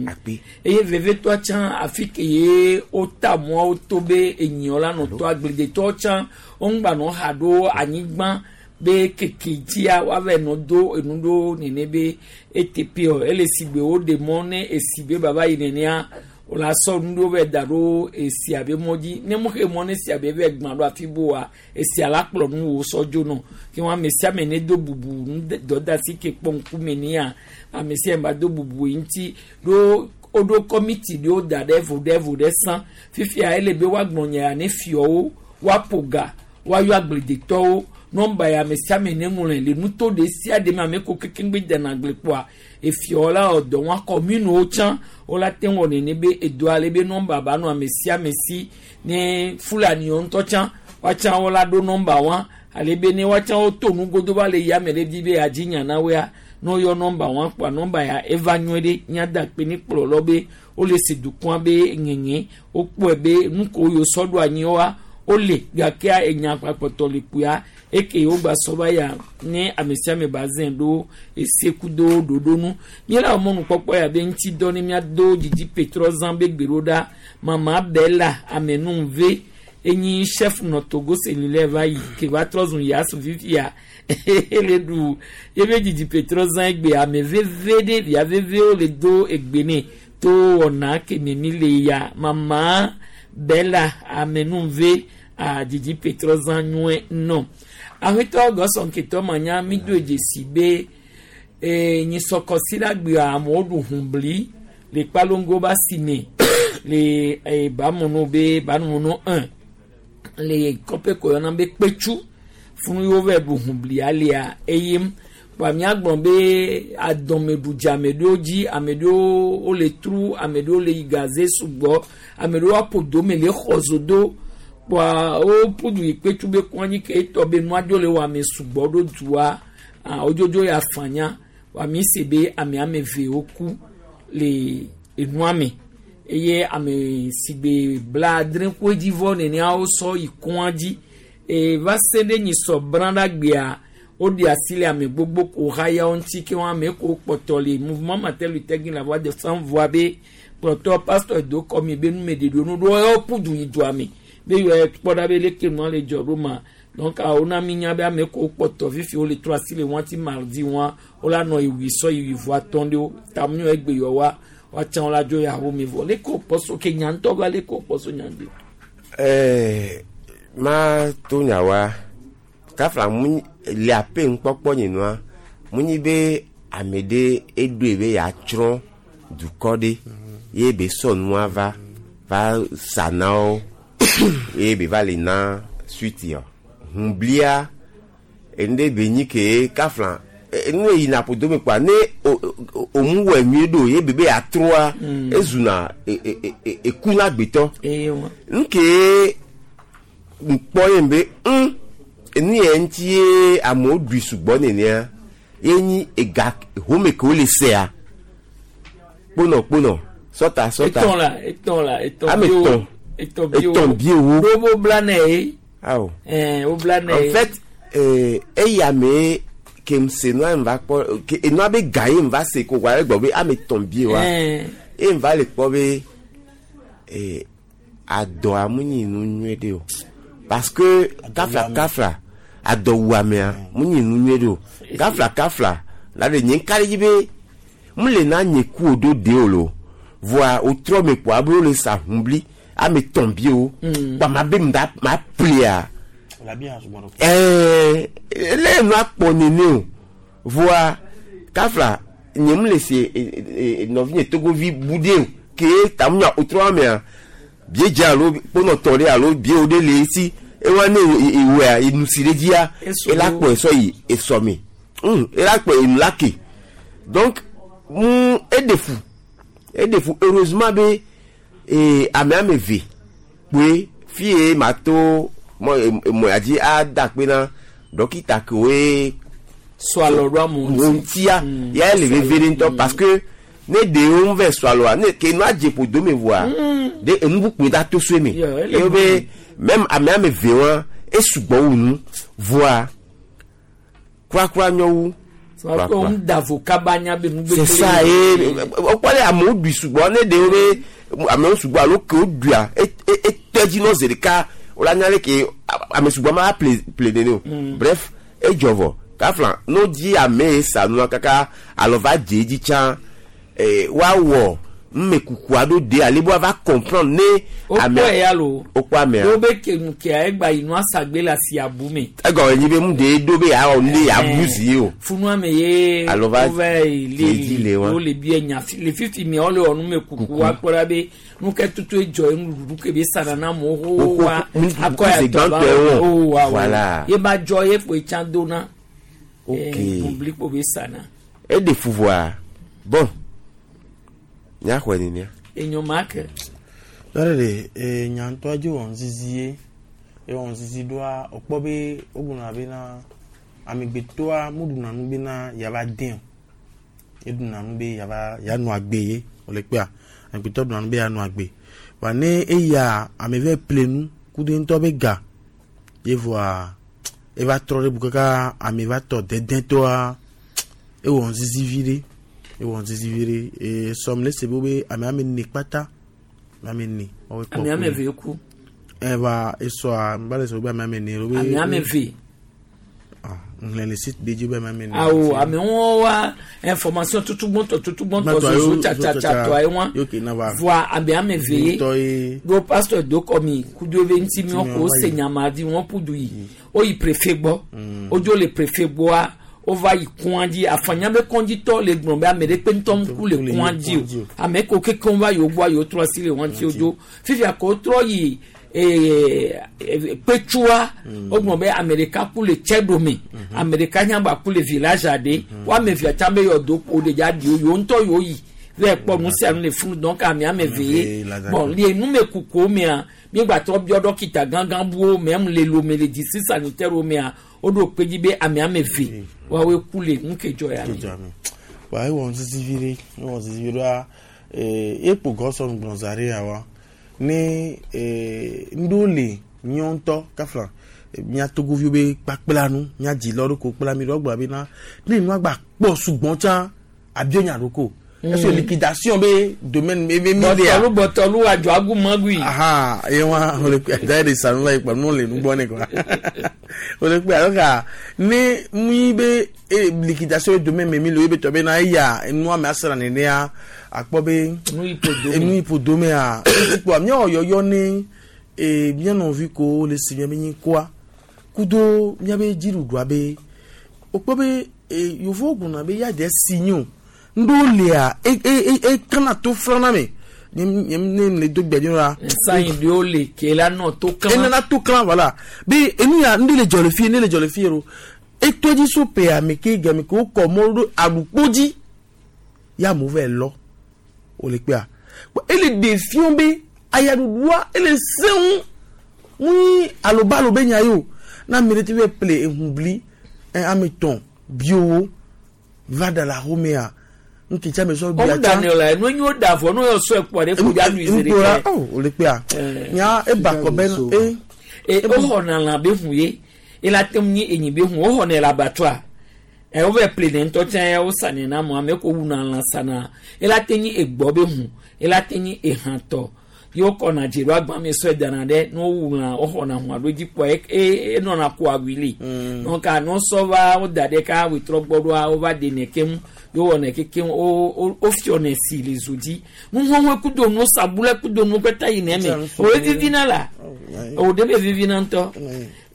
akpe. Eye vevetɔ tsã afi ke ye wota mɔawo to be enyiɔ la nɔ to agbledetɔwo tsã woŋgba nɔ ha ɖo anyigba be keke dzia woava nɔ do enu ɖo nene be eteƒe o ele si gbe woɖe mɔ ne esi be baba yi nenea wola sɔ nu ɖewo va da ɖo esia be mɔ dzi ne mo xe mɔ ne esia be va gbã ɖo afi boa esia la kplɔ nu wo sɔ dzo nɔ ke wɔn ame sia ame ne do bubu nu dɔdasi ke kpɔ ŋkume nea ame sia ame ba do bubu yi ŋuti ɖo woɖo kɔmiti ɖewo da ɖe vo ɖe vo ɖe sã fifia ele be woagblɔ nya ya ne fiɔwo woaƒo ga woayɔ agbledetɔwo nɔmba ya ame sia ame ne ŋlɔe le nuto ɖe sia ɖe me ame ko kekeŋgbe dena agble kpoa efiɔ la wɔ dɔ wɔn kɔminuwo tsã wola te wɔ nene be edoa ale be nɔmba ba nɔ ame sia ame si ne fulaniwo ŋutɔ tsã woatsã wola ɖo nɔmba wa ale be ne woatsã woto nugodo va le yame ɖe di be yeadzi nya na woa ne woyɔ nɔmba wa kpoa nɔmba ya eva nyuie ɖe míada akpe ne kplɔlɔ be wole se dukɔa be ŋeŋe wokpɔe be nu ko yiwo sɔ ɖo anyi woa wole gakea enya kpakpɔtɔ le kpuia eke wogba sɔ va ya ne ame sia ame ba zẽ ɖo esekudo ɖoɖo nu míele wɔ mɔnukpɔkpɔ ya be ŋuti dɔ ne míado dzidzi petrɔ zã be gbe ɖo ɖa mama bela amenuve enyi chef nɔ Togo cellulaire va yi ke va trɔ zu yasu fifia ele ɖu ebe dzidzi petrɔ zã egbe ame veve ɖe via vevewo le do egbe ne to wɔna keme mi le ya mama bela amenuve a dzidzi petrɔ zã nyuie nɔ aƒetɔ gɔsɔnketɔ manya mi do dzesi be ee nyisɔkɔsi la gbea amewo ɖu hunbli le kpalongo ba si me le ee bamunu be bamunu un le kɔƒe ko yɔna be kpetsu funu yiwo va ɖu hunbli alia eye kpa miagblɔ be adɔmeɖudze ame ɖewo dzi ame ɖewo wole tru ame ɖewo le yi gaze sugbɔ ame ɖewo aƒo dome le xɔ zo do kpoa wo ƒudu yi kpetsu be kɔn anyi ke etɔ be nua dzo le wɔ ame sugbɔ ɖo dua wodzodzo ya fanya wa mi se be ame ame eve woku le enua me eye ame si gbe bla adre ko edzi vɔ nenea wosɔ yi kɔa dzi E va se ɖe nyisɔ brã ɖa gbea woɖe asi le ame gbogbo ko haya wo ŋuti ke wɔn ame ko kpɔtɔ le mouvement Martin Luther King la voix de sans voix be kplɔtɔ pasteur do kɔmi be numeɖeɖewo nu ɖo ewo ƒu du yi dua me be yɔ kpɔ ɖa be leke nua le dzɔ ɖo ma donc awo na mi nya be ame ko kpɔtɔ fifi wo le trɔ asi le wɔn ti mardi wɔn wo la nɔ iwi sɔ iwi vɔ atɔ̃ ɖewo tamu egbe yɔ wa woatsã wo la dzo ya wo mi vɔ leke wo kpɔ so ke nya ŋutɔ va leke wo kpɔ so nya ŋdi. ɛɛ ma to nya wa kafla mu le ape ŋkpɔkpɔ nye nua mu nyi be ame ɖe eɖoe be yeatsrɔ̃ dukɔ ɖe ye be sɔ nua va va sa na wo ye be va le na suite yɔ hunblia enu ɖe be nyi ke kafla enu yina ƒodo me kpoa ne o o o mu wɔ nyuie ɖo ye be be yeatrɔa ezuna e e e eku na gbetɔ nu ke ŋkpɔ ye be ŋ enu yɛ ŋuti ye amewo ɖui sugbɔ nenea ye nyi ega home ke wole sea kponɔ kponɔ sɔta sɔta etɔn la etɔn la etɔn ame etɔn etɔn biewo etɔn biewo ɖo wo bla nɛ ye awo ɛɛ wo bla nɛ en ye fait euh, eya me ke m se nua m va kpɔ ke enua be ga ye m va se ko wa gbɔ be ame etɔn biewa Ɛɛ. ye m va le kpɔ be ee adɔa mu nyi nu nyuie ɖe o parce que kafla kafla adɔwuamea mu nyi nu nyuie ɖe o kafla kafla la ɖe nye ŋka ɖe dzi be mu le na nye ku o ɖo de o lo voa o trɔ me kpoa be wo le sa hunbli ame etɔn biewo kpa ma be mu da ma plia ɛɛ ele nua kpɔ nene o voa kafla nye mu le se e e nɔvi nye togovi bu de o ke tamu nya o trɔ amea bie dze alo kponɔtɔ ɖe alo biewo ɖe le esi ewa ne ewɔa enusi ɖe dzia ela kpɔ esɔ yi esɔme hum ela kpɔ enu la ke donc mu eɖe fu eɖe fu heureusement be ee ame ame eve kpoe fie ma to mɔ emɔ ya dzi ada kpe na dɔkita kewoe sɔ alɔ ɖo amewo wo ŋutia ya le veve ɖe ŋutɔ parce que ne ɖewo ŋu vɛ sɔ alɔa ne ke nua dze ƒodo me voa de enu kpukpui da to soe me Yeah, ele ye be même ame ame eve wa esugbɔ wu nu voa kurakura nyɔ wu sɔ ko ŋu da vo kaba nya be nu c'est ça ye wokpɔ ɖe amewo ɖui sugbɔ ne ɖewo be amewo sugbɔ alo ke woɖuia etɔ dzi nɔ zi ɖeka wola nya ɖe ke ame sugbɔ ma ple ple nene o bref edzɔ vɔ kafla no dzi ame ye sa nua kaka alɔ va dze edzi tsã ee woawɔ numekuku aɖewo de ale be woava comprendre ne wokpɔ ya lo wokpɔ amea ɖo be ke nu kea egba yi nua sagbe le asi abu me egɔme nyi be mu de ɖo be yeawɔ nu ɖe yeabu zi ye o funua me ye Alo va wova yi dze edzi le wa. le wo le bia nya fi le fifi mia wole wɔ numekuku wa kpɔ ɖa be nu ke tutu edzɔ ye nuɖuɖu ke be sana na amewo xoxo wa Nuɖuɖu akɔ ya ze tɔ va gbãtɔe wɔ. o wa wa Voilà. ye ba dzɔ ye kpoe tsã dona Ok. blikpo be sana eɖe fu voa bon míaxɔe nenea enyo ma ke lɔɖe ɖe ee nyantɔa dzi wɔ ŋzizi ye ewɔ ŋzizi ɖoa wòkpɔ be wogblɔna bena amegbetɔa muɖuna nu bena yava dẽ o eɖuna nu be yava yanɔ agbe ye wòle kpea amegbetɔ ɖuna nu be yanɔ agbe wa ne eya ame vɛ ple nu ku ɖe ŋutɔ be ga ye voa eva trɔ ɖe bu kaka ame va tɔ dedẽtɔa ewɔ ŋzizi vi ɖe ewɔ ŋzizi vi ɖe ee sɔm le se be wo be ame ame ene kpata ame ame ene woawoe kpɔ ame ame ku. eve ku eva esɔa n ba le sɔ be ame ame ene wo be ame ame eve ŋlɛ le site de dzi be ame ame ene awo ame ŋu wa information tutu gbɔntɔ tutu gbɔntɔ Gbãtɔ zozo yo- tsatsatsa ye wa yo ke na va voa ame ame eve ye ŋutɔ ye ɖo pasteur do kɔmi kudo ebe ŋuti mi Ŋuti mi ko wa se yi. nyama di wɔn ƒu du yi woyi préfet gbɔ wodzo le préfet gbɔa wova yi kɔn dzi afanya be kɔndzitɔ le gblɔ be ame ɖe kpe ŋutɔ ŋku le kɔn dzi o ame ko kekeŋ va yiwo gbɔa yiwo trɔ asi le wɔn ŋuti wodzo fifia ko wotrɔ yi ee kpetsua wogblɔ be ame ɖeka ku le tsɛɖome ame ɖeka nya ba ku le village aɖe wo ame evea tsã be yɔdo kpo ɖe dza ɖi wo yiwo ŋutɔ yiwo yi vɛ kpɔ nu sia nu le funu donc ame ame eve ye bon le numekukuwo mea mígbatrɔ biɔ dɔkita gãgã buwo mɛ le lome le district sanitaire wo mea woɖo kpe dzi be ame ame eve woawoe ku le nu ke dzɔ ya me. Kedzɔ me wa ewɔ ŋzizi vi ɖe ewɔ ŋzizi vi ɖoa ee ekpo gɔsɔ gblɔ za ɖe ya wa ne ee ŋɖewo le nyɔ ŋutɔ kafla mía togoviwo be kpakpla nu mía dzilawo ɖo ko kpla mi ɖo gblɔ bena ne nua gba kpɔ sugbɔn tsã abio nya ɖo ko est-ce que liquidation be domaine be mi lea bɔtɔlu bɔtɔlu adzɔ agu magui. aha ye wa o le kpe da de sanu la yi kpa nu le nugbɔ ne quoi o le kpe alo ka ne mi be e liquidation be domaine me mi le be tɔ be na eya nua me asra nenea akpɔ be enu ipo domea kpɔ miawɔ yɔyɔ ne e mía nɔvi ko le si miabe nyi koa kudo miabe dziɖuɖua be wokpɔ be e yevuwo gblɔna be ya de si nyo ŋɖewo lia e e e kana to flana me ne ne le do gbɛdzi la. sanyi ɖewo le ke la nɔ to klan. enana to klan voilà be enu ya ŋɖe le dzɔ le fie ne le dzɔ le fie ro eto dzi so pe ame ke game ke wokɔ mɔ ɖo aɖukpo dzi ya amewo va lɔ wòle kpea ele ɖe fiɔ be ayaɖuɖua ele sẽŋu ŋui alobalo be nya yi o na ame ɖe ti va ple ehuŋbli ɛ ame tɔn biowo va da le axomea nkitsa me sɔ bia tsa ɔmu la nu nyo da vɔ nu yɔ sɔ ekpɔ ɖe fo dza nu yi ɖe kɛ o le kpea nya eba kɔ bɛ e. e woxɔna lã be hu ye ela te ŋu nyi enyi be hu woxɔnɛ le abattoir ɛ wo vɛ ple ne ŋutɔ tsã ya wo sanɛ na mo ame ko wuna lã sana ela te nyi egbɔ be hu ela te nyi ehãtɔ ye wokɔna dze ɖo agba me sɔe dana ɖe ne wowu lã woxɔna hu alo dzi kpɔa e enɔna ko awui li donc anɔ sɔ va wo da ɖe ka wetrɔ gbɔ ɖoa wova ɖenɛ keŋ yowɔnɛ kekeŋ wo wo wofiɔnɛ si le zo dzi nuxɔxɔe kudo nu sabulɛ kudo nu kpata yi nɛ me o ye vivina la o de be vivina ŋutɔ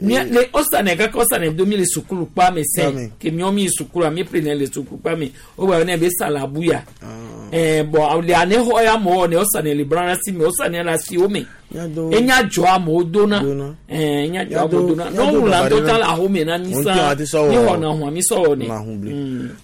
mia le ɔsanɛ kaka ɔsanɛ do mi le sukulu kpa me sɛn ke miɔ mi yi sukulu mi ple ne le sukulu kpa me o gba ne be salabuya ɛɛ bɔn le ane xɔ ya mɔ ne ɔsanɛ le brana si me ɔsanɛ la si wo me enya dzɔ amewo dona ɛɛ enya dzɔ amewo dona ne wòle ŋutɔ ta le ahome na mi sa mi xɔna hɔn mi sɔ wɔ ne.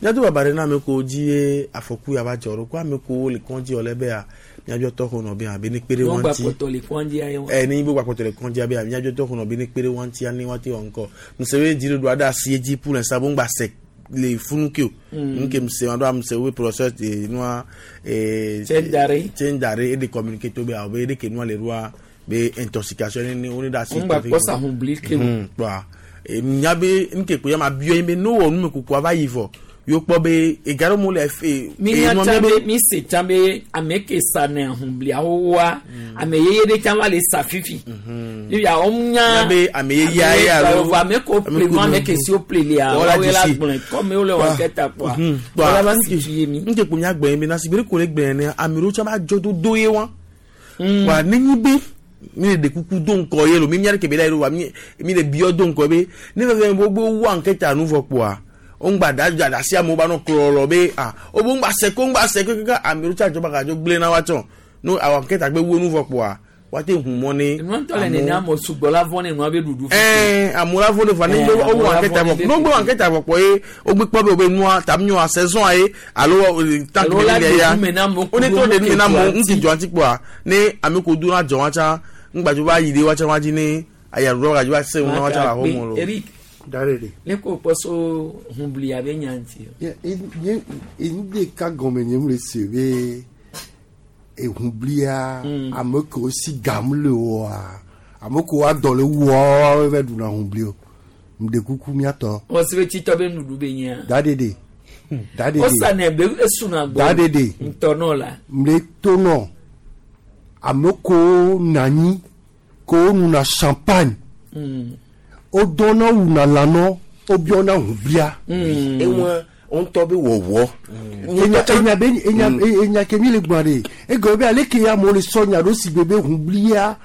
Miado baba ɖe na ame ko dzi ye afɔku ya va dzɔ ɖo ko ame ko le kɔndzi wɔ le bea miadzo tɔ xɔ nɔ be abe ne kpe ɖe wɔn ŋuti kpɔtɔ le kɔndzi ya ɛ ne yibo gbakpɔtɔ le kɔndzi ya be miadzo tɔ xɔ nɔ be ne kpe ɖe wɔn ŋuti ne wɔn ti wɔ ŋkɔ musebe dziɖuɖu aɖe asi edzi pour l'instant bo ŋgba se le funu ke o nke mse wa do amse wo process de nua ee Tse tsendare e de communiquer to be awo be de ke nua le roa be intoxication ne ne wo ne da asi. Ŋgba kpɔ sahun bli ke o. Kpɔa nya be nke ko ya ma biɔ yin be no wɔ nume kuku ava yi vɔ yóò kpɔ be egaro mo le efe. mi nya tsã be mi se tsã be ame ke sa ne ahunbliawo wa ame yeye ɖe tsã va le sa fifi. Ya wo nya be ame yeye aye alo ame ko ple nu ame ke si wo ple lia wo la gblɔe kɔmi wo le wɔ kɛta kpɔa wala va si fi ye mi. Nke ko nya gbɛn be na si be ko le gbɛn ne ame ɖewo tsã va dzɔ do do ye wa. Wa ne nyi be mi le ɖe kuku do ŋkɔ ye lo mi mia ɖe ke be la ye lo wa mi mi le biɔ do ŋkɔ be ne fɛn fɛn gbogbo wa ŋkɛta nu vɔ kpɔa o ŋgba da da asi amewo ba nɔ klɔlɔ be ah o bo ŋgba se ko ŋgba se ko kaka ame ɖewo tsa dzɔ ba ka dzo gblẽ na wa tsɔ no awɔ ŋkɛta gbe wo nu vɔ kpɔa wa te hu mɔ ne. Nua ŋutɔ le nene ame sugbɔ la vɔ ne nua be ɖuɖu. Ɛɛ amewo la vɔ ne va ne gbe wo wɔ ŋkɛta vɔ ne wo gbe wɔ ŋkɛta vɔ kpɔ ye wo gbe kpɔ be wo be nua ta mi nyoa saison ye alo tanki Alo la le ya ɖe nume na amewo wo ne to ɖe nume na amewo ŋuti ŋuti dzɔ ŋuti kpɔa ne ame ko do na dzɔ wa tsã ŋgbadzo va yi ɖe wa tsã wa dzi ne ayaɖuɖɔ gadzo va se ŋu na wa tsã le axɔme lo. Eric Darede. ne ko kpɔ so hunbli abe nya ŋuti. Nye ɖeka gɔme nye mu le se be ehunblia ame kewo si gam le oa ame kewo adɔ le wua va ɖuna hunbli o ŋɖe kuku miatɔ. Wọ́n si be tsitɔ be nuɖu be nyia. Dadede. Dadede. Wosanɛ be esuna gbɔ. Dadede. Ŋutɔ nɔ la. Mle tonɔ ame kewo nɔ anyi kewo nuna champagne. Mm. Wodɔna wuna lãnɔ wobiɔna hunblia. Ewa ŋutɔ be wɔwɔ. Enya enya be enya enya ke mi le gblɔ ɖe egɔme be ale ke amewo le sɔ nya ɖo si gbe be hunblia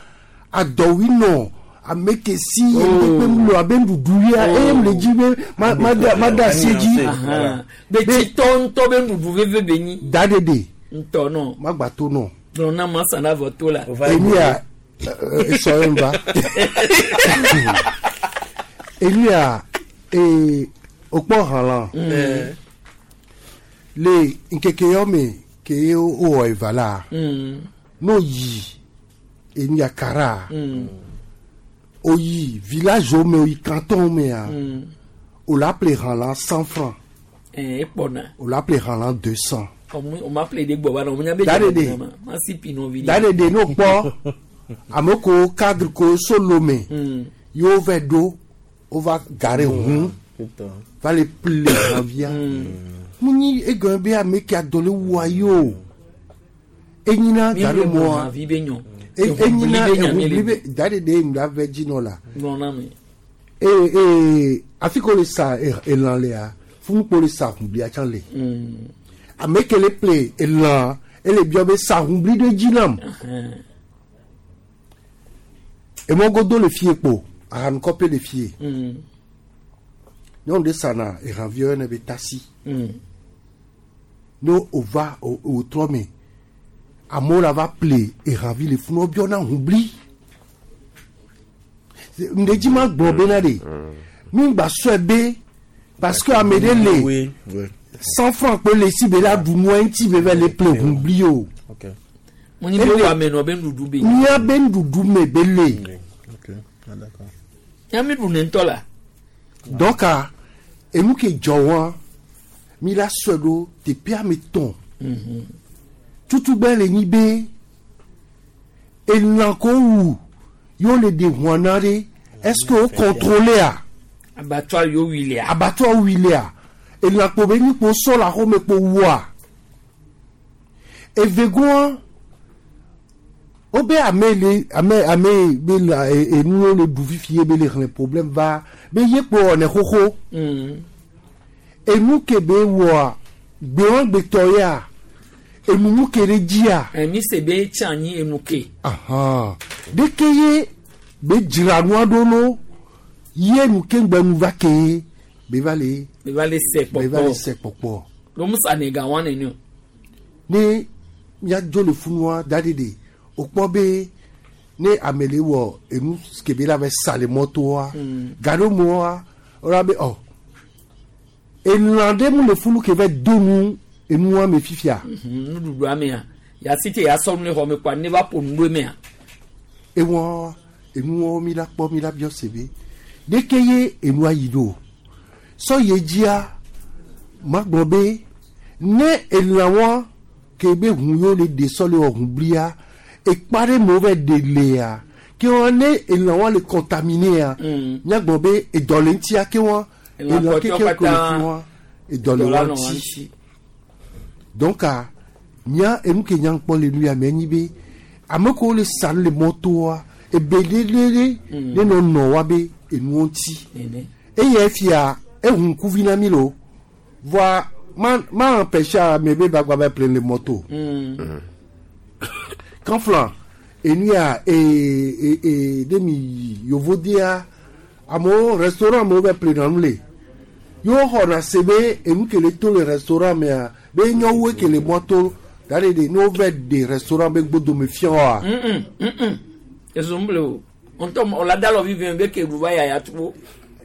adɔwui nɔ ame ke si ŋdekpe mu le abe nuɖuɖu ya eye mu le dzi be ma ma da ma da asi dzi. Be tsitɔ ŋutɔ be nuɖuɖu veve be nyi. Daɖeɖe. Ŋutɔ nɔ. Magba to nɔ. Gblɔ na ma san avɔ to la. Enia esɔ ye ŋva. Elia ee okpɔ hã la le ŋkeke yɔ me ke ye wowɔ eva la n'o yi eniakara o yi village wo me o yi canton wo mea o la ple hã la cent francs Ɛɛ ekpɔna. o la ple hã la deux cents. Ɔmu o ma ple de gbɔ ba na o nya be. Daɖeɖe. Ma si pi nɔvi. Daɖeɖe n'o kpɔ ame ko cadre ko solo me yewo va ɖo wova gare hu va le ple lãvia munyi egɔme be ame ke adɔ le wua yi o enyina gare mɔa vi be nyɔ enyina ehubli be da de de ŋu ave dzi nɔ la gblɔ na mi ee ee afi ko le sa elã lea funukpo le sa hublia tsã le ame ke le ple elã ele biɔ be sa hubli ɖe dzi nam emɔgodo le fie kpo ahanukɔpe le fie nyɔnu ɖe sana ehãviwo yɔnɛ be tasi ne wòva wòtrɔ me amewo la va ple ehãvi le funu wobiɔna hubli ŋɖe dzi ma gblɔ bena ɖe mi gba sɔe be parce que ame ɖe le cent francs kpe le si be la ɖu nua ŋuti be va le ple hubli o munyi be wɔ ame nɔ be nuɖuɖu be mía be nuɖuɖu me be le nyami ɖu ne ŋutɔ la donc enu ke dzɔ wa mi la sɔe ɖo teƒea me tɔn tutugbe le nyi be elã ko wu yewo le ɖe ʋua na ɖe est ce que wo contrôler a abattoir yewo wi lea abattoir wi lea elã kpo be nyi kpo sɔ le axɔme kpo wua evegoa wobe ame le ame ame be la enuwo le ɖu fifi ye be le xlẽ problème va be ye kpo wɔnɛ xoxo enu ke be wɔa gbewãgbetɔ ya enumu ke ɖe dzia. mi se be tsi anyi enu ke. ɖeke ye be dzra nua ɖo no ye nu ke ŋgbe nu va ke ye be va le. be va le sɛ kpɔkpɔ be va le sɛ kpɔkpɔ. lomusa ne ga wa nene o. ne miadzo le funua da ɖe de o kpɔ be ne ame le wɔ enu kebe la va sa le mɔtoa gaɖomɔa wòle be ɔ elã ɖe mu le funu ke va do nu enua me fifia. nuɖuɖu amea yasi te yasɔ nu le xɔ me kɔa ne va ƒo nu ɖo emea. ewɔ enuwɔ mi la kpɔ mi la biɔ se be ɖeke ye enua yi ɖo sɔ ye dzia ma gblɔ be ne elã wa ke be ʋu yewo le ɖe sɔ le wɔ ʋu blia ekpa ɖe me wo va ɖe lea ke wa ne elã wa le contaminé miagblɔ be edɔ le ŋutia ke wa elã keke ko le fi wa edɔ le wa ŋuti donc nya enu ke nya kpɔ le nu ya me enyi be ame kewo le sa le mɔtoa ebe lelele ne nɔ nɔ wa be enuwo ŋuti eye fia ehu ŋkuvi na mi lo voa ma ma empêcher ame be ba gba va ple le mɔto kanflan enu ya ee ee ee ɖe mi yovodia amewo restaurant amewo va ple na nu le yewo xɔna se be enu ke le to le restaurant mea be nyɔwue ke le mɔto da de de ne wo va de restaurant be gbodome fia wa. ezumble o ŋutɔ ɔla da lɔ vivi be ke ɖu va yaya tuwo.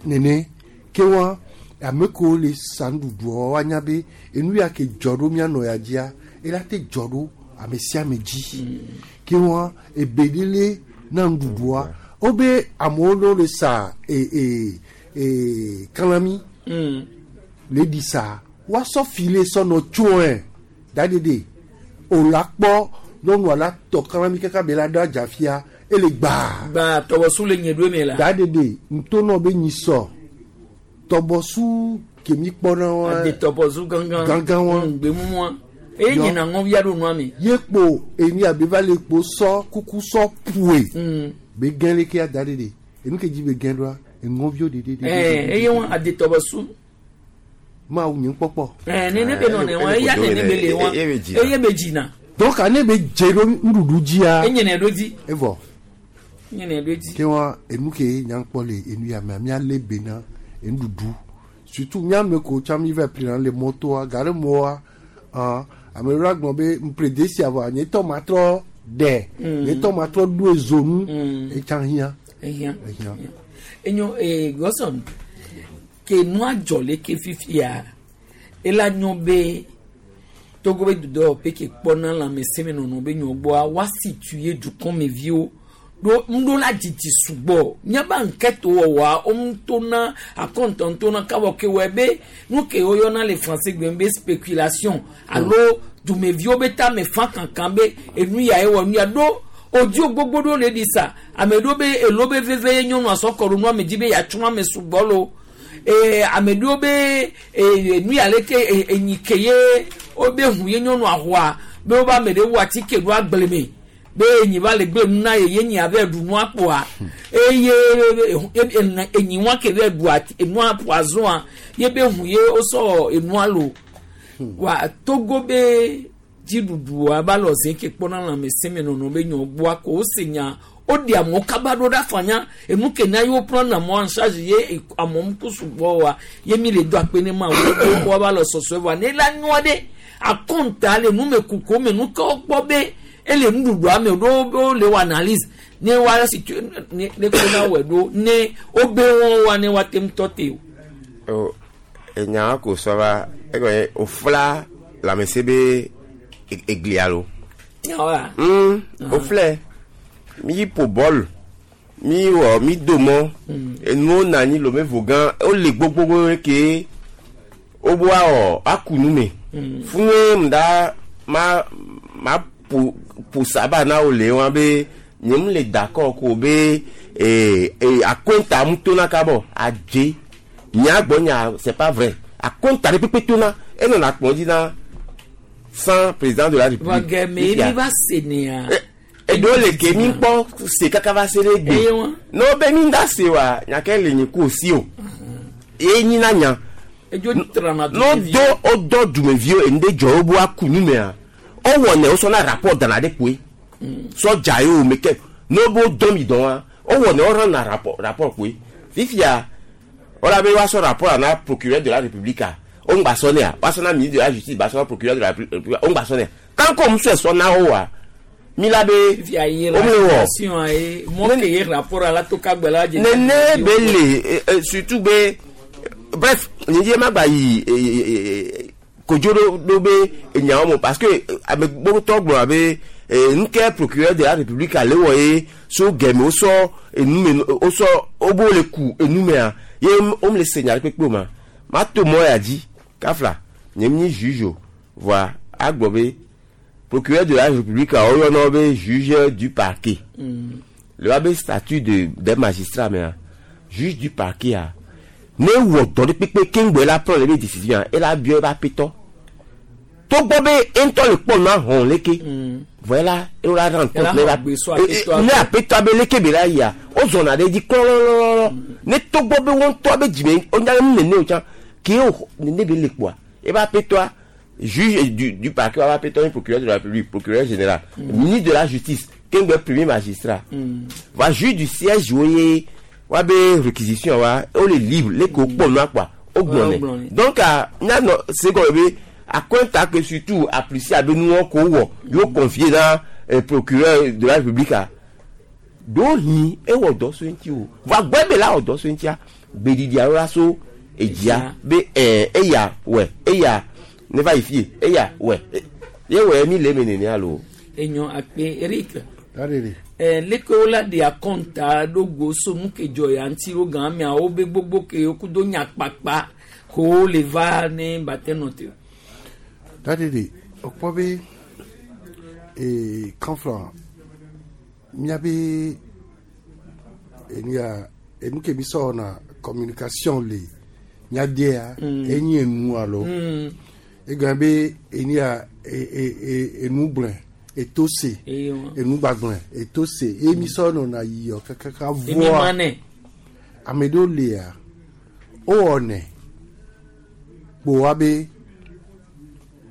Nene ke wa ame kewo le sa nuɖuɖuɔ woanya be enu ya ke dzɔ ɖo mianɔ ya dzia ela te dzɔ ɖo ame sia ame dzi ke wa ebe ɖe le na nuɖuɖua wobe amewo ɖewo le sa ee ee ee kalami le ɖi sa woasɔ file sɔ nɔ tsoe da ɖeɖe o la kpɔ nyɔnua la tɔ kalami kaka be la ɖo adzafia ele gbaa. Gbaa tɔbɔsu le nye ɖo me la. Da ɖeɖe ŋutonɔ be nyisɔ tɔbɔsu ke mi kpɔna wa. Ade tɔbɔsu gangan. Gangan wa. Gbemumua eye nyina ŋɔvi aɖo nua me. Ye kpo eni abe va le kpo sɔ kuku sɔ poe. Be gɛn leke ya da ɖeɖe enu ke dzi be gɛn ɖoa eŋɔviwo ɖeɖe. Ɛɛ eye wa ade tɔbɔsu. Mawu nye kpɔkpɔ. Ɛɛ nene be nɔ ne wa eya nene be le wa eye be dzina. Donc ane be dze ɖo nuɖuɖu dzia. Enye ne ɖo dzi. Evɔ. Enye ne ɖo dzi. Ke wa enu ke nya kpɔ le enu ya mea míalé be na enuɖuɖu surtout míame ko tsã mi va ple na le mɔtoa gare mɔa ah ame ɖewo gblɔ be ŋple desia vɔa nye tɔ ma trɔ ɖe nye tɔ ma trɔ ɖo ezonu etsã hiã. Ehiã. Ehiã. Enyo ee Gɔsɔn ke nua dzɔ le ke fifia ela nyɔ be Togo be dudɔwɔƒe ke kpɔna lãmesẽmenɔnɔ be nyɔ gbɔa woa situe dukɔmeviwo ɖo ŋuɖola dzidzi sugbɔ míabe enquête wɔwɔa woŋutona akɔntɔntona kawɔ ke wɔe be nu ke woyɔna le français gbe be spéculation alo dumeviwo be tame fa kankan be enu ya ewɔ nu ya ɖo Odio gbogbo ɖo le ɖi sa ame ɖewo be elo be veve ye nyɔnua sɔ kɔ ɖo nua me dzi be yeatsrɔ̃ ame sugbɔ lo ee ame ɖewo be ee nu ya leke ee enyi ke ye wo be hu ye nyɔnua xɔa be wobe ame ɖe wu atike ɖo agble me be enyi va le gble nu na ye ye nyi ave ɖu nua kpoa eye enyi wa ke ve ɖu ati enua poison ye be hu ye wosɔ enua lo wa Togo be dziɖuɖua ba lɔ zi ke kpɔna lãmesẽmenɔnɔ be nyɔ gbɔa ko wose nya woɖe amewo kaba ɖo ɖe afanya enu ke na yewo prendre amewo en charge ye amewo ku sugbɔ wa ye mi le do akpe ne ma wo wo ba lɔ sɔsɔe vɔa ne la nyɔ ɖe akɔnta le numekuku me nu ke wokpɔ be ele nuɖuɖua me ɖo wo le wɔ analyse ne wa situ ne ne ko na wɔ ɖo ne wo be wɔn wa ne wa te ŋutɔ te o. o enya ko sɔ va egɔme ofla lãmesẽ be eglia lo. Nyawa. Mm, oflɛ mi ƒo bɔl mi wɔ mi do mɔ enuwo na anyi lome vo gã wole gbogbogbò ke wobo awɔ aku nu me funu ŋda ma ma ƒo ƒo saba na wo le wa be nye mu le d'accord ko be ee ee akonta mu tona kabɔ adze nya gbɔ nya c'est pas vrai akonta ɖe kpekpe tona enɔna kplɔ dzi na sans président de la république. Vɔ gɛmɛ mi va se nea. Eɖewo le ke mi kpɔ se kaka va se ɖe gbe ne wo be mi da se wa nyake le nyi ku si o ye nyi na nya Edzo trana ne wo do wo dɔ dumeviwo enu ɖe dzɔ wo bo aku nu mea wowɔ ne wosɔ na rapport dana ɖe koe sɔdza ye o me ke ne wo be wo dɔ mi dɔn wa wowɔ ne wo rend rapport rapport koe fifia wala be woasɔ rapport na procureur de la république a wo ŋgba sɔ nea woasɔ na ministre de la justice ba sɔ na procureur de la république wo ŋgba sɔ nea tant que wo sɔe sɔ na wo wa mi la be Fifia ye wo me wɔ relation ye mɔ ke ye rapport ala to ka gbɛ la dze. nene be le eh, eh, surtout be bref nye ma gba yi eh, eh, eh, kodzo ɖo ɖo be enyawo me parce que eh, ame gbogbo gblɔ be eh, nuke procureur de la république ale wɔ ye so gɛmɛ wosɔ enume wosɔ wobo le ku enumea ye wo le se nya ɖe kpekpe o ma ma to mɔ ya dzi kafla nye mi nyi juge o voa agblɔ be procureur de la république a woyɔna be juge du parquet le wa be statut de des magistrats mea juge du parquet a ne wɔ dɔ ɖe kpekpe keŋgbɔ la prendre be décision ela biɔ eba petɔ togbɔ be eŋutɔ le kpɔ nua hɔn leke vɔ ela ela rendre compte ne Ela ba xɔ gbe so e- e- apetɔa ne gbɔ. apetɔa be leke be la yia wozɔna ɖe edzi klɔlɔlɔlɔ ne togbɔ be wo ŋutɔ be dzime wonya be nu nene o tsã ke wo nene be le kpoa eba apetɔa juge du du parquet wa apetɔ nye procureur de la république procureur général ministre de la justice keŋgbɛ premier magistrat va juge du siège wo ye wa be réquisition wa wo le libre leke wo kpɔ nua kpoa wo Wo gblɔ gblɔ nɛ nɛ. donc a mianɔ se gɔme be akɔnta ke surtout apprécier abe nuwɔ ko wɔ yewo confier na eh, procureur de la république a ɖewohĩ ewɔ dɔ so ŋuti o vɔ agbɔ be la wɔ dɔ so ŋutia gbeɖiɖi alo la so edzia be ɛɛ eya wɛ eya ne va yi fie eya wɛ e- ye wɔ mi le eme nenea lo. Enyɔ akpe Eric. Dadede. Eh, leke wo la ɖe akɔnta ɖo go so nu ke dzɔ ya ŋuti wo gã ameawo be gbogbo ke wo kudo nyakpakpa ko wo le va ne ba te nɔ te o. Dadede, okpɔ be ee kanfla miabe enu ya enu ke mi sɔ na communication le miadea Mm. enyi enu alo Mm. egɔme be enu ya e e e enu gblẽ eto se Eye wa. enu gbagblẽ eto se ye mi sɔ nɔna yiyɔ kakaka Emi voa ma nɛ. ame ɖewo lia wowɔnɛ kpoa be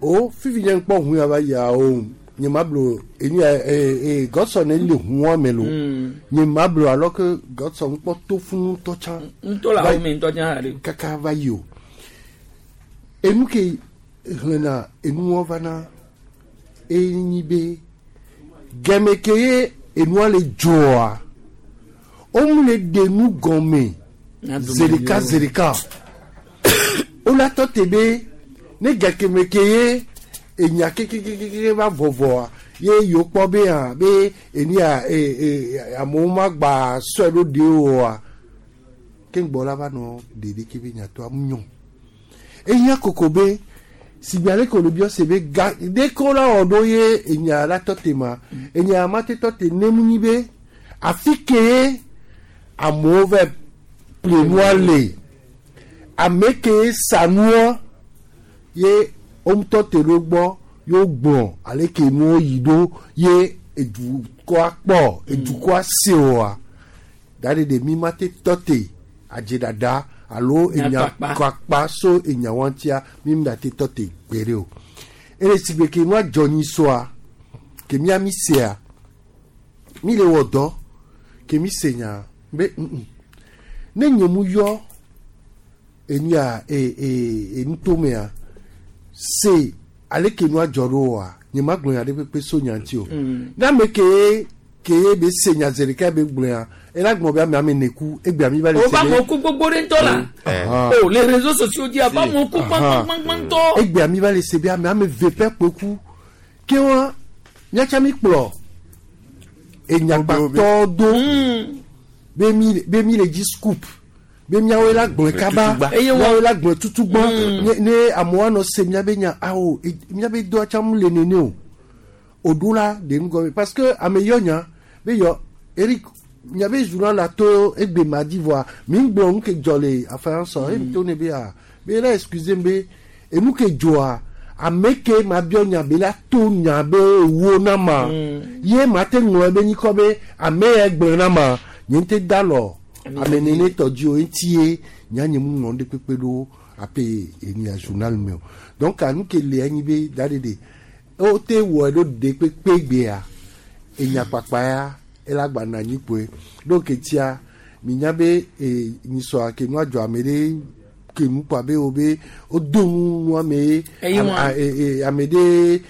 o fifi nye ŋkpɔ hu ya va yia o nye ma blo enu ya ee ee gɔsɔ ne le huɔ me lo Mm. nye ma blo alors que gɔsɔ ŋkpɔ to funu tɔ tsã Ŋutɔ le Va- awo me ŋutɔ tsã ha ɖe. kaka va yi o enu ke xlẽna enuwɔ va na enyi be gɛmɛ ke ye enua le dzɔa womu le ɖe nu gɔme Na dumeviwo. zerika zerika wola tɔ te be ne gakeme ke ye enya kekekeke va vɔvɔa ye yewo kpɔ be hã be enia e e amewo ma gba sɔe ɖo ɖe oa ke ŋgbɔ la va nɔ ɖeɖe ke be nyatɔa nyɔ ehiã koko be Sigbe ale ke wòle biɔ se be ga ɖe ko la wɔ ɖo ye enya la tɔ te ma enya ma te tɔ te ne mu nyi be afi ke ye amewo vɛ ple nua le ame ke ye sa nua ye wo ŋutɔ te ɖo gbɔ ye wogblɔ ale ke nuwo yi ɖo ye edukɔa kpɔ edukɔa se oa da ɖe ɖe mi ma te tɔ te adzedada alo enya kpakpa so enya wa ŋutia mi mu da te tɔ te gbe ɖe o eye sigbe ke nua dzɔ nyi soa ke mía mi sea mi le wɔ dɔ ke mi se nya be mm ne nye mu yɔ enya e e enutomea se ale ke nua dzɔ ɖo oa nye ma gblɔ nya ɖe kpekpe so nya ŋuti o ne ame ke ke be se nya zi ɖeka be gblɔ ya ela gblɔ be ame ame ne ku egbe ami va le o ba mɔ ku gbogbo ɖe ŋutɔ la o le réseaux sociaux dzi a ba mɔ ku gbãgbãgbãtɔ. Egbe ami va le se be ame ame ve ƒe kpe ku ke wa míatsa mi kplɔ enyagbatɔ do be mi be mi le dzi scoop be miawoe la gblɔe kaba miawoe la gblɔe tutugbɔ ne ne amewo anɔ se miabe nya awo miabe dɔa tsam le nene o oɖo la ɖe ŋgɔ parce que ame yɔ nya be yɔ Eric miabe journal la to egbe ma di voa mi gblɔ nu ke dzɔ le afɛn sɔ emi to ne be a be la excuse be enu ke dzɔa ame ke ma biɔ nya be la to nya be wo na ma ye ma te ŋlɔ be nyikɔ be ame ya gblɔ na ma nye te da lɔ ame nene tɔ dzi o ŋuti ye nya nye mu ŋlɔ ɖe kpekpe ɖo ape enia journal me o donc anu ke le anyi be da ɖe ɖe o te wɔ ɖo ɖe kpekpe gbea enya kpakpa ya ela gba na anyi kpoe donc etia mi nya be e nyisɔa ke nua dzɔ ame ɖe ke nu kpɔ abe wo be wo do nu nua me ye ame ɖe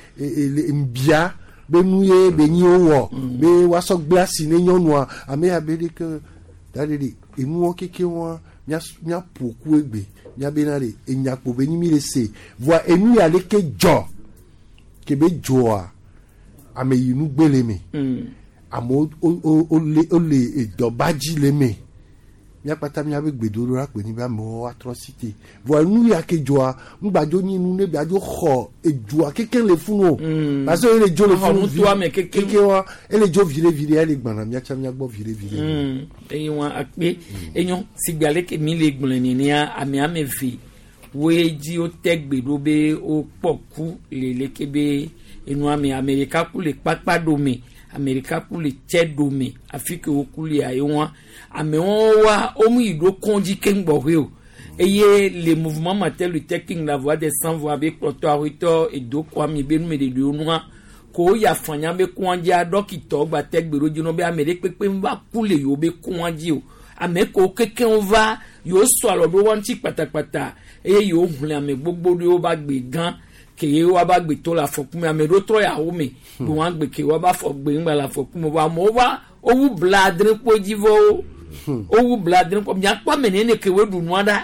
ŋbia be nu ye be nyi wo wɔ be woasɔ gble asi ne nyɔnua ame ya be ɖe ke da ɖe ɖe enuwo keke wa mía ƒo ku egbe mía be na ɖe enyakpo be nyi mi le se voa enu ya ɖe ke dzɔ ke be dzɔa ame yi nu gbe le me amewo wo le edɔba dzi le me míakpata míabe gbedodo la kpe nyi be amewo atrɔ si te voa nu ya ke dzɔa ŋgbadzo nyi nu ne biadzo xɔ edzoa keke le funu o parce que ele dzo le funu vi keke wa ele dzo vi ɖe vi ɖe ele gbana míatsa míagbɔ vi ɖe vi ɖe. Eye wa akpe enyo sigbe ale ke mi le gblɔe nenea ame ame eve woe dzi wote gbe ɖo be wokpɔ ku le leke be enua me ame ɖeka ku le kpakpa ɖome ame ɖeka ku le tse ɖome afi ke woku lia ye wa amewo wa womu yi ɖo kɔndzi keŋ gbɔƒe o eye le mouvement Martin Luther King la voie des sans voix be kplɔtɔ awetɔ edo kɔ ami be numeɖeɖewo nua ko woyi afanya be kɔndzia dɔkitɔ gba te gbe ɖo dzi nɔ be ame ɖe kpekpe va ku le yewo be kɔndzi o ame kewo kekeŋ va yewo sɔ alɔ ɖo wa ŋuti kpatakpata eye yewo hlẽ ame gbogbo ɖewo ba gbe gã ke ye wa ba gbe to le afɔku me ame ɖewo trɔ ya wo me be wɔn gbe ke wa ba fɔ gbe ŋgba le afɔku me vɔ amewo va wowu bla adre kpo dzi vɔ wo wowu bla adre kpo miakpɔ ame nene ke wo ɖu nua ɖa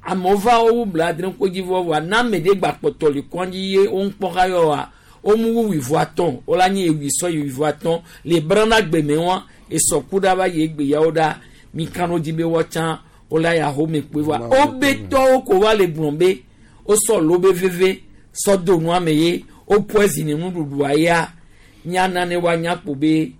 amewo va wowu bla adre kpo dzi vɔ vɔ na ame ɖe gba kpɔtɔ le kɔndzi ye wo ŋkpɔ ha yɔ wa womu wu wuivo atɔ̃ wola nye ewui sɔ yi wuivo atɔ̃ le brana gbeme wa esɔku ɖa va yi egbe yawo ɖa mi kan ɖo dzi be wɔtsã wola ya home kpoe vɔa wobe tɔwo ko va le gblɔm be wosɔ lobe veve sɔ do nua me ye wo poison nuɖuɖua ya miana ne woanya kpo be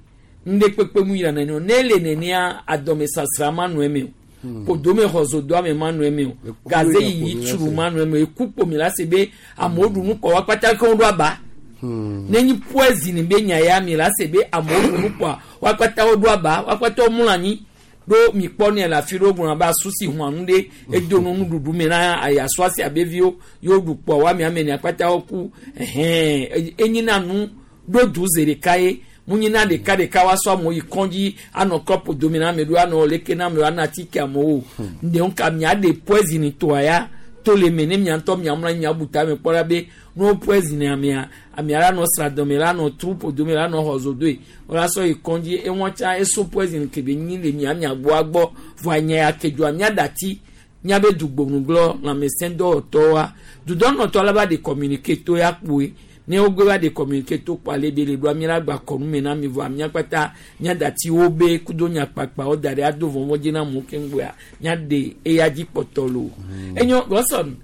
ŋɖe kpekpe mu yina nene o ne le nenea adɔmesasra ma nɔ eme o kodome xɔzodo ame ma nɔ eme o gaze yiyi tsuru ma nɔ eme o eku kpomi la se be amewo ɖu nu kɔ wa kpata ke wo ɖo aba ne nyi poison be nya ya mi la se be amewo ɖu nu kɔa wa kpata wo ɖo aba wa kpata wo mlɔ anyi ɖo mi kpɔ ne le afi ɖo gblɔ be asusi hɔn nu ɖe edo nu nuɖuɖu me na ayasu asi abeviwo yewo ɖu kpɔ wa mi ame ene akpata wo ku ɛhɛn enyina nu ɖo du ze ɖeka ye munyina ɖeka ɖeka wa sɔ amewo yi kɔndzi anɔ kɔpu dome na ame ɖo anɔ leke na amewo anɔ atike amewo ɖewo ka mia ɖe poison toa ya to le me ne mia ŋutɔ mia mlɔ anyi mia bu ta me kpɔ la be ne wo poison amea amea la nɔ sra dɔme la nɔ trupo dome la nɔ xɔzodoe wòla sɔ yi kɔndzi ewɔn tsa eso poison ke be nyi le mia mia gbɔa gbɔ vɔa nya ya ke dzoa mia dati miabe dugbonugblɔ lãmesẽ dɔwɔtɔwoa dudɔnɔtɔ la va de communiqué to ya kpoe Ne wogbe va de communiqué to kpɔ ale be le ɖoa mi la gba kɔ nu me na mi vɔa mía kpata mía dati wo be kudo nyakpakpa wo da ɖe ado vɔvɔ dzi na amewo keŋgbɔa mía de eya dzi kpɔtɔ lo. Enyo Gɔsɔn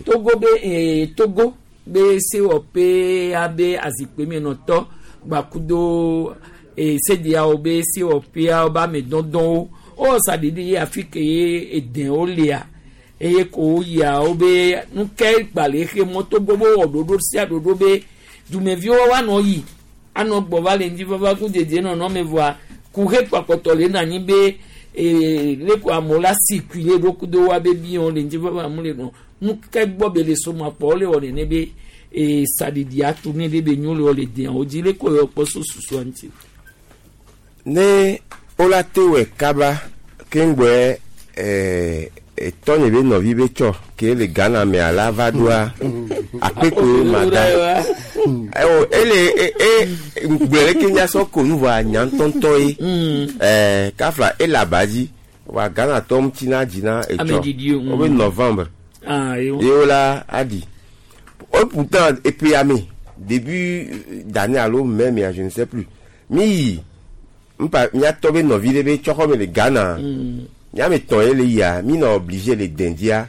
Togo be ee Togo be sewɔƒe abe azikpui menɔtɔ gbakudo ee sediawo be sewɔƒeawo be ame dɔdɔwo wowɔ saɖiɖi ye afi ke ye edewo lia eye ko woyia wo be nu ke gba le xe mɔ Togo be wowɔ ɖoɖo sia ɖoɖo be dumeviwo woanɔ yi anɔ gbɔ va le ŋdi vava ku dedie nɔnɔ me vɔa kuhe kpakpɔtɔ le na anyi be ee le ko amewo la si kui le ɖo kudo wa be biwo le ŋdi vava amewo le nɔ nu ke gbɔ be le soma kpɔ wole wɔ nene be ee saɖiɖi atu ne ɖe be nyo le wɔ le deawo dzi le ko yɔ kpɔ so susua ŋuti. Ne wola te wɔ kaba keŋgbɔe ɛɛ etɔnye be nɔvi be tsɔ ke le Ghana mea la va ɖoa akpekpe ma da ewo ele e e gblɔ leke miasɔ ko nu vɔa nya ŋutɔŋutɔ ye ɛɛ kafla ele aba dzi wa Ghana tɔ ŋuti na dzi na etsɔ wobe novembre Ah, ye wola aɖi o pourtant eƒea me début d'année alo mai mea je ne sais plus mi yi npa miatɔ be nɔvi ɖe be tsɔxɔ me le Ghana miame tɔn ye le yia mi nɔ obligé le dɛndia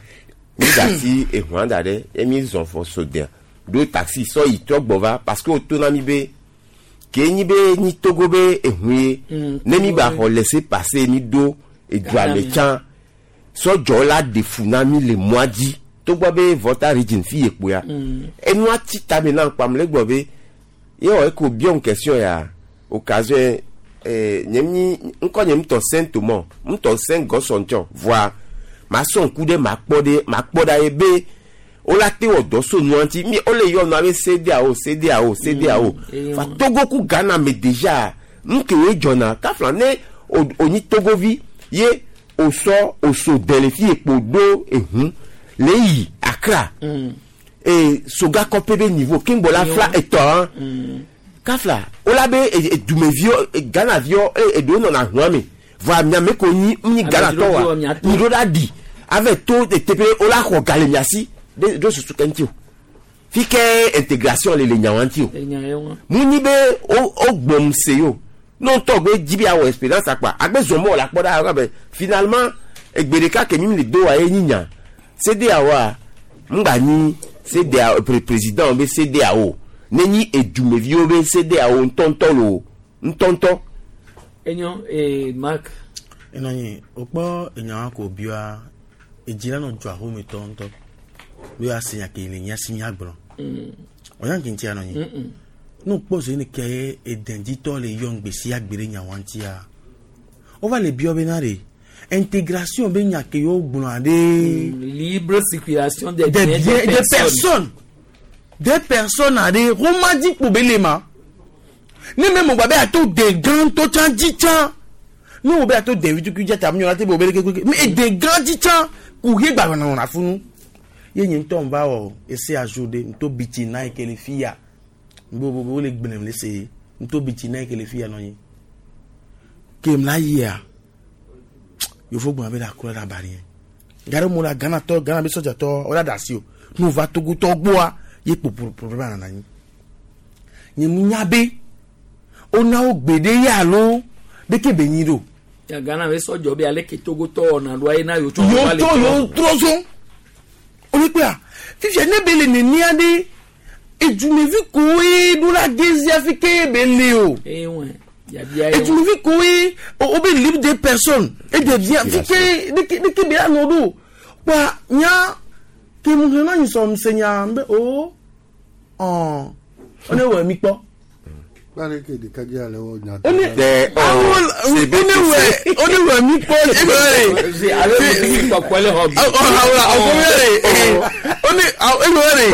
mi da si ehua da ɖe ye mi zɔn fɔ so dɛn ɖo taxi sɔ yi trɔ gbɔ va parce que o to na mi be ke nyi be nyi Togo be ehun ye ne mi gba xɔ laisser passer mi ɖo edua me tsã sɔdzɔ la de fu na mi le mɔa dzi togbɔ be Volta region fi ye kpoya enua ti tame na kpam le gbɔ be ye wɔ eko biɔ question ya occasion eh, nye mi ŋkɔ nye ŋutɔ Saint Thomas ŋutɔ Saint Gɔsɔn tsɔ voa ma sɔ ŋku ɖe ma kpɔ ɖe ma kpɔ ɖa ye be wola te wɔ dɔ so nua ŋuti mi wole yɔ nua be CEDEAO CEDEAO CEDEAO fa Togo ku Ghana me déjà nu ke woe dzɔna kafla ne o o nyi Togovi ye o sɔ o so dɛ le fi ye kpo ɖo ehun le yi Accra e soga kɔpe be niveau keŋgbɔ la fla etɔ hã kafla wola be dumeviwo Ghana viwo eɖewo nɔna hua me voa miame ko nyi nyi Ghana tɔ wa mi ɖo la ɖi ave to teƒe wola xɔ ga le mia si ɖe ɖo susu ke ŋuti o fi ke intégration le le nyawa ŋuti o mu nyi be wo wo gbɔm se yo ne ŋutɔ gbe dzi be awɔ expérience akpa agbe zɔn mɔ la kpɔ ɖa abe finalement egbe ɖeka ke mi le do wa ye nyi nya CEDEAO ŋgba nyi CEDEAO pré président be CEDEAO ne nyi edumeviwo be CEDEAO ŋutɔŋutɔ lo ŋutɔŋutɔ. Enyo ee Mark. Enɔ nyi wokpɔ enyawa ko bia edzi la nɔ dzɔ ahome tɔ ŋutɔ be ase nya ke le nya si nya gblɔ ɔnya ke ŋutia nɔ nyi ne wokpɔ zo ne ke ye edɛdzitɔ le yɔ ŋgbe sia gbe ɖe nyawa ŋutia wova le biɔ bena ɖe intégration be nya ke yewo gblɔa ɖe. Libre circulation des des biens biens des des personnes. personnes des personnes aɖe woma dzi kpo be le ma ne me mɔgba be ato de gã tɔ tsã dzi tsã ne wo be ato de vitukui dzi ata miɔ la te be wo be ɖeke mais ede gã dzi tsã kuxi gba nɔ nɔna funu ye nye ŋutɔ va wɔ ese azu ɖe ŋutɔ bitsi na yi ke le fi ya bo bo bo le gblẽm le se ŋutɔ bitsi na yi ke le fi ya nɔ anyi kem la yia yofo gblɔ be la kura la bari yɛ gari mo la Ghana tɔ Ghana be sɔdza tɔ wo la da asi o n'o va Togo tɔ gbɔa ye kpo problème nana anyi nye mu nya be wona wo gbe ɖe ya alo ɖeke be nyi ɖo Ya Ghana be sɔdzɔ be ale ke Togo tɔ wɔna ɖoa ye na yewo tsɔ yewo va le tɔ trɔ. yewo trɔ zɔn olukpea fifia ne be le nenia ɖe edumevi koe ɖo la gezi afi ke be le o Eye wɛ yabia ye wɛ. edumevi koe o be libre des personnes et des biens fi ke ɖeke ɖeke be la nɔ ɖo kpa nya ke mu xlẽ na nyi sɔm se nya be o ɔn one wɔ mi kpɔ. Kpale ke ɖekadze ale wɔ nya. One one wɔ one wɔ mi kpɔ ebe Se ale mi kpɔkpɔ le xɔ bi. ɔhawla ɔkɔmɛrɛ one ebe wɛrɛ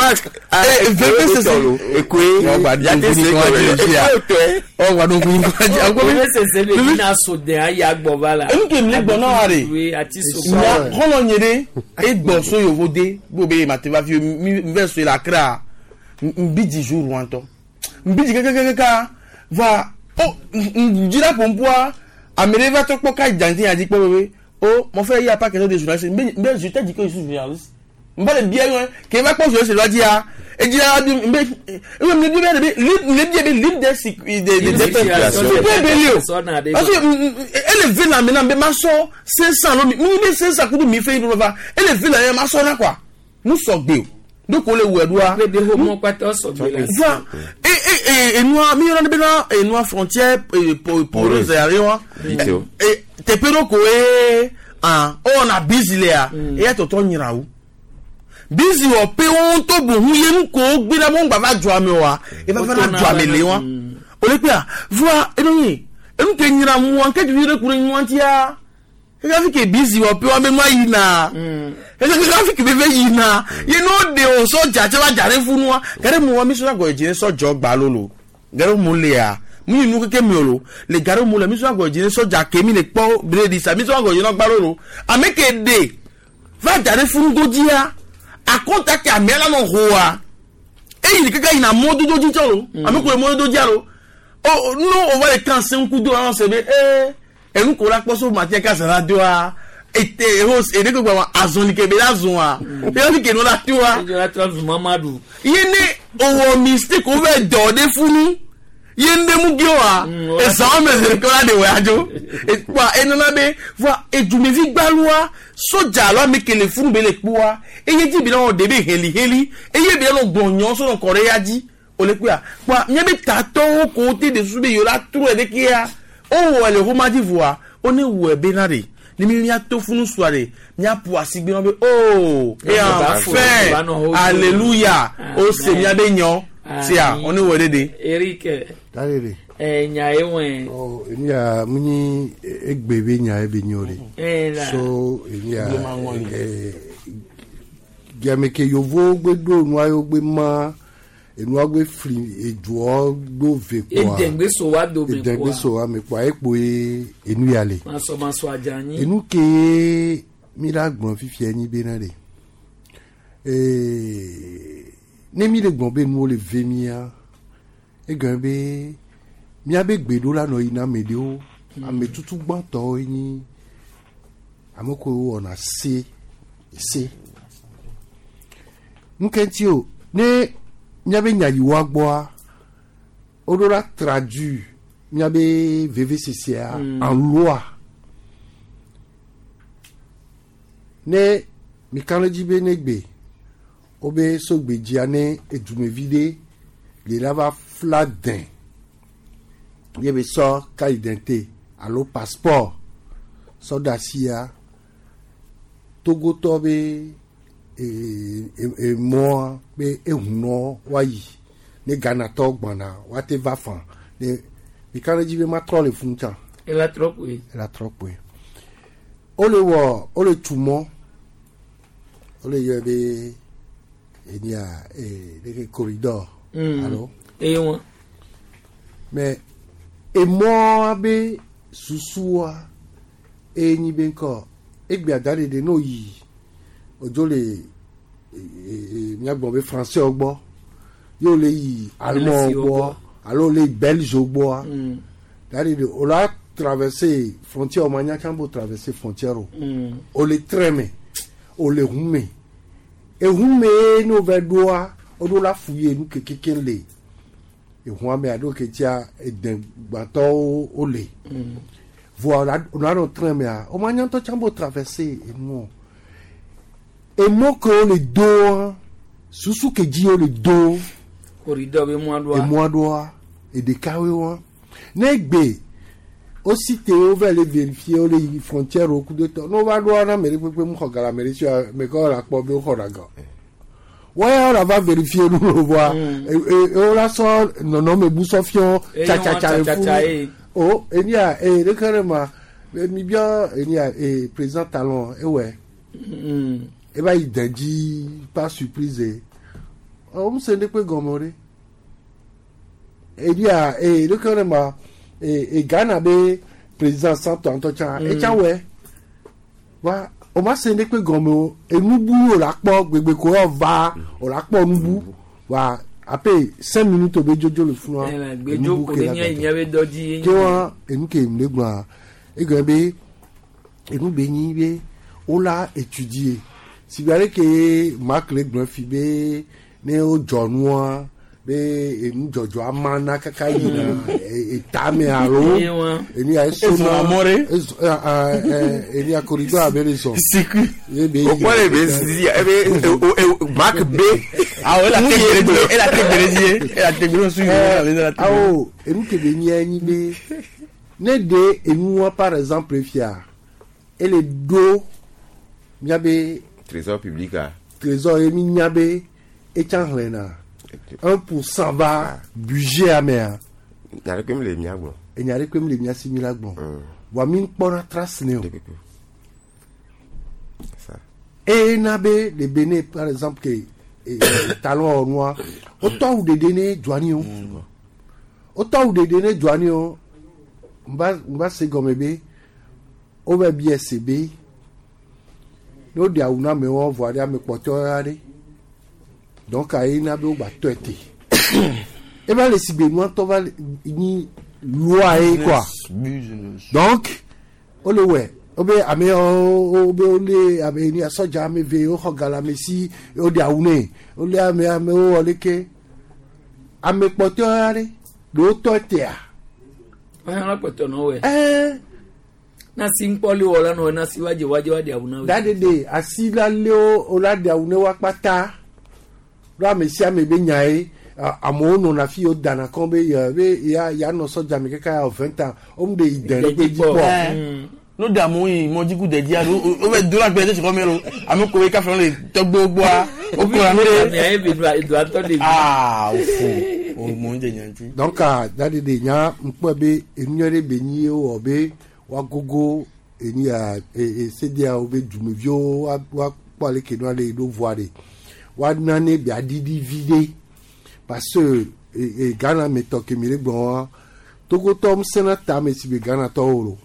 veve sese ekoe Veve sese le bina so den ayi agbɔ va la. Enu ke mi le gbɔ na wa de Oui, ati so. nya xɔlɔ nye ɖe egbɔ so yovo de bo be ma te va fi mi mi vɛ so le Accra n bi dzi jour wa ŋutɔ n bi dzi kakakaka va o n dzra ƒoƒua ame ɖe va trɔ kpɔ ka dza ŋuti nya dzi kpɔ be o mon frère il y a pas question de journaliste n bɛ n bɛ je t'ai dit que je suis journaliste Mba le bia yɔn ke va kpɔ zɔ se dia edzia di mbe ebe mi bi be li le bi be libre de de de de de be li o parce que ele ve la maintenant be ma sɔ cinq cents lo mi mi be cinq cents kudu mi fe yi va ele ve la ma sɔ na quoi nous sɔ gbe o donc o le wɛ doa be ho mo kpata sɔ gbe la va e e e enua mi yɔrɔ ne be na enua frontière poreuse yare wa e teƒe ɖo koe ah ɔna busy lea eya tɔtɔ nyra wo busy wɔ pe wo ŋutɔ bohu ye nu ko gbe ɖe mo ŋgba va dzɔa me oa eva va na dzɔa me le wa o le kpea voa enu ye enu ke nyra mua ke tutu ɖe ku ɖe nyua tia keke fi ke busy wɔ pe wa be nua yina keke fi ke be ve yina ye no de o sɔdza tse va dza ɖe funua gare mu wa mi sɔ agɔ dzi ne sɔdzɔ gba lolo gare mu lea mi nu keke mi o lo le gare mu le mi sɔ agɔ dzi ne sɔdza ke mi le kpɔ bredi sa mi sɔ agɔ dzi ne gba lolo ame ke de va dza ɖe funu godzia akɔnta ke amea la nɔ hoa eyi keke yina mɔdodo dzi tsɔ lo ame ko le mɔdodo dzia lo o no o va le kan se ŋku do alɔ se be ee enu ko la kpɔ so matia kasa la doa ete ehos ede ko gba azɔli ke be la zɔn eya fi ke no la toa ye ne owɔ mistake o bɛ dɔ de funu ye ne mu ge wa ezan me zere ko la de wɔ adzo ekpa enana be voa edumevi gbalua sodza alo ame kele funu be le kpoa eye dzi bi la wɔ de be heliheli eye bi la nɔ gbɔnyɔ so nɔ kɔ ɖe ya dzi o le kpoa kpoa nye be tatɔwo ko te de su be yewo la trɔ ɖe kea o wɔ le xɔma dzi voa o ne wɔ be na de ni mi mia to funu sua de mia ƒo asi gbe ma be oh et enfin alléluia o se mia be nyɔ tia o ne wɔ de de. Eric Dalele. ɛ nya ye wɛn. Ɔ eni ya mu nyi egbe be nya ye be nyo de. Eh, la. So eni ya ɛ gameke yovo gbe do nua yo gbe ma enua gbe fli edzuɔ do ve kpoa. Edengbe so wa do me Edengbe kpoa. so wa me kpoa ekpo ye enu ya le. Masɔmasɔ adzanyi. Enu ke mi la gblɔ fifia nyi bena de ee ne mi le gblɔ be nuwo le ve mia egɔme be miabe gbeɖo la nɔ yina ame ɖewo ame tutu gbãtɔwo nyi ame kewo wɔna se se nuke ŋuti o ne miabe nya yi woa gbɔa woɖo la traduit miabe vevesesea Mm. en loi ne mika ɖe dzi be ne gbe wobe sogbedzia ne edumevi ɖe le la va fla dẽ ye be sɔ carte d'identité alo passeport sɔ ɖe asia togotɔ be ee emɔa be ehunɔ woayi ne ghanatɔ gbɔna woate va fa ne mika ɖe dzi be matrɔ le funu tsã Ela trɔ koe. ela trɔ kpoe wole wɔ wole tu mɔ wole yɔe be enia ee ɖeke corridor Mm. alo Eye wɔn. mɛ emɔa be susua eye nyi be ŋkɔ egbea da ɖeɖe n'o yi odzo le ee miagbɔ be français gbɔ ye wole yi allemand Alesiwo gbɔ gbɔ. alo wole yi belge gbɔa Mm. da ɖeɖe o la traverser frontière o ma nya tsã bo traverser frontière o Mm. o le train me o le ʋu me eʋu me ne wova ɖoa woɖo la fu ye nu kekeke le eʋua me alo ke tia edegbãtɔwo wole Mm. voa o la nɔ train mea o ma nya ŋutɔ tsã bo traverser enuɔ emɔ ke wole doa susu ke dzi wole do Corridor be mɔa ɖoa. emɔa ɖoa eɖekawoe wa ne gbe wosi te wova le vérifier wole yi frontière wo kudo tɔ ne wova ɖoa na ame ɖe kpekpe mu xɔ ga le ame ɖe sia ame ke wole akpɔ be woxɔ na ga wɔya wole va vérifier nu lo voa e wola sɔ nɔnɔme bu sɔ fiɔ Eye wɔn tsatsatsa le tsatsatsa ye. funu o enia ee ɖeke ɖe ma e, mi biɔ enia ee président Talon ewɔe Mm. eva yi dɛ dzi par surprise ɔ mu se ɖe kpe gɔme o ɖe edia ee ɖeke ɖe ma ee e Ghana be président Santo ŋutɔ tsã Mm. etsã wɔe wa o ma se ɖe kpe gɔme o enubu o la kpɔ gbegbe ko yɔ va o la kpɔ nubu wa ape cinq minutes o be dzodzo le funua Ela gbedzo ko ɖe nye nye be dɔ dzi ye ke wa enu ke mu le gblɔa egɔme be enu be nyi be wola étudier Si bi ale ke Mark le gblɔ fi be ne wodzɔ nua be enudzɔdzɔ ama na kaka yina etame alo enu ya esona ezo enu ya corridor abe le zɔn. O kpɔ le be zi ebe Mark B. Awo ela te gbele ela te gbele zi ela te gbele su yi. Awo enu ke be nye nyi be ne de enua par exemple fia ele do miabe trésor public a trésor ye mi nya be etsa xlẽna un pour cent va budget amea. Nya ɖe kpem le mia gbɔ. Enya ɖe kpem le mia si mi la gbɔ. Wa mi kpɔna trace ne o. Eye na be le Benin par exemple ke talon nua wotɔ awu ɖeɖe ne dzoani o. Wotɔ awu ɖeɖe ne dzoani o. Mba mba se gɔme be wova bia se be ne woɖe awu na amewo vɔa ɖe ame kpɔtɔe aɖe. Donc ayi na be wogba tɔe te. Eva le sigbe nua tɔ va nyi loi ye quoi. Donc wole wɔe wobe ame yawo wobe wole ame ni sɔdza ame eve woxɔ ga le ame si woɖe awu nɛ wole ame amewo wɔ leke ame kpɔtɔe aɖe ɖewo tɔe tea. Ɔyɔna kpɔtɔ nɔ wɛ. Ɛɛ. Nasi ŋkpɔli wɔ la nɔ nasi wadze wadze wadze awu na wɛ. Daɖeɖe asi la lé wo la ɖe awu ne wa kpata. Ɖo ame sia ame be nya ye amewo nɔna fi wo dana kɔn be yɛ be ya ya nɔ sɔdza me kaka ya vingt ans wo mu de yi dɛ ɖe dzi kpɔ. No da mo yi mɔdzi ku dɛdzi alo o bɛ do la gbɛ ɖe tsikɔ mi lo ame ko ye kafe le tɔgbe gbɔa o ko la mi de. Aa o fo o mɔ de nya ŋuti. Donc daɖeɖe nya ŋkpɔ be enu ɖe be nyi ye wɔ be woagogo enu ya e CEDEAO be dumeviwo woakpɔ ale ke nua le ɖo voa ɖe woana ne be aɖiɖi vi ɖe parce que e Ghana me tɔ ke mi le gblɔ wa Togotɔ ŋusẽna ta ame si be Ghana tɔwo lo.